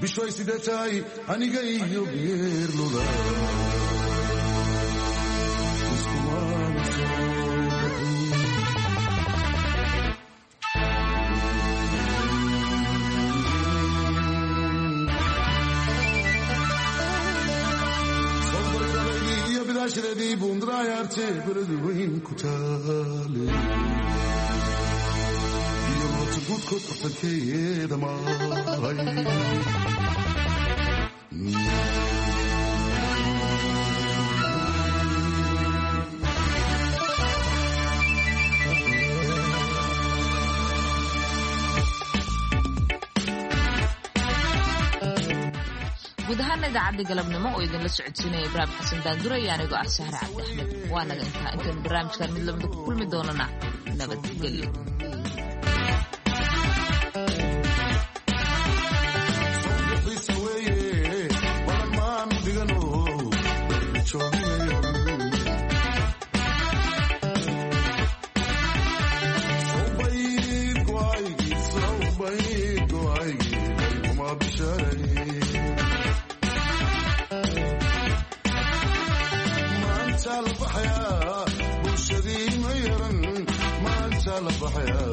Bishoy sidee tahay aniga iyo geerluda iskumaanu soo bixin. Sobaradaydii iyo bidaashadeedii buundraayarte beradu weyn ku taale iyo loota guudkood bartankeeda maray. Guud ahaana idaacadda galabnimo oo idinla socodsiinaya Ibraahim Xasan Daandure iyo anigoo ah Sahre Cabdi Axmed waa naga intaa. Intaynu barnaamijkan mid lamida ku kulmi doonana nabadgelyo. Bye. kala baxaya.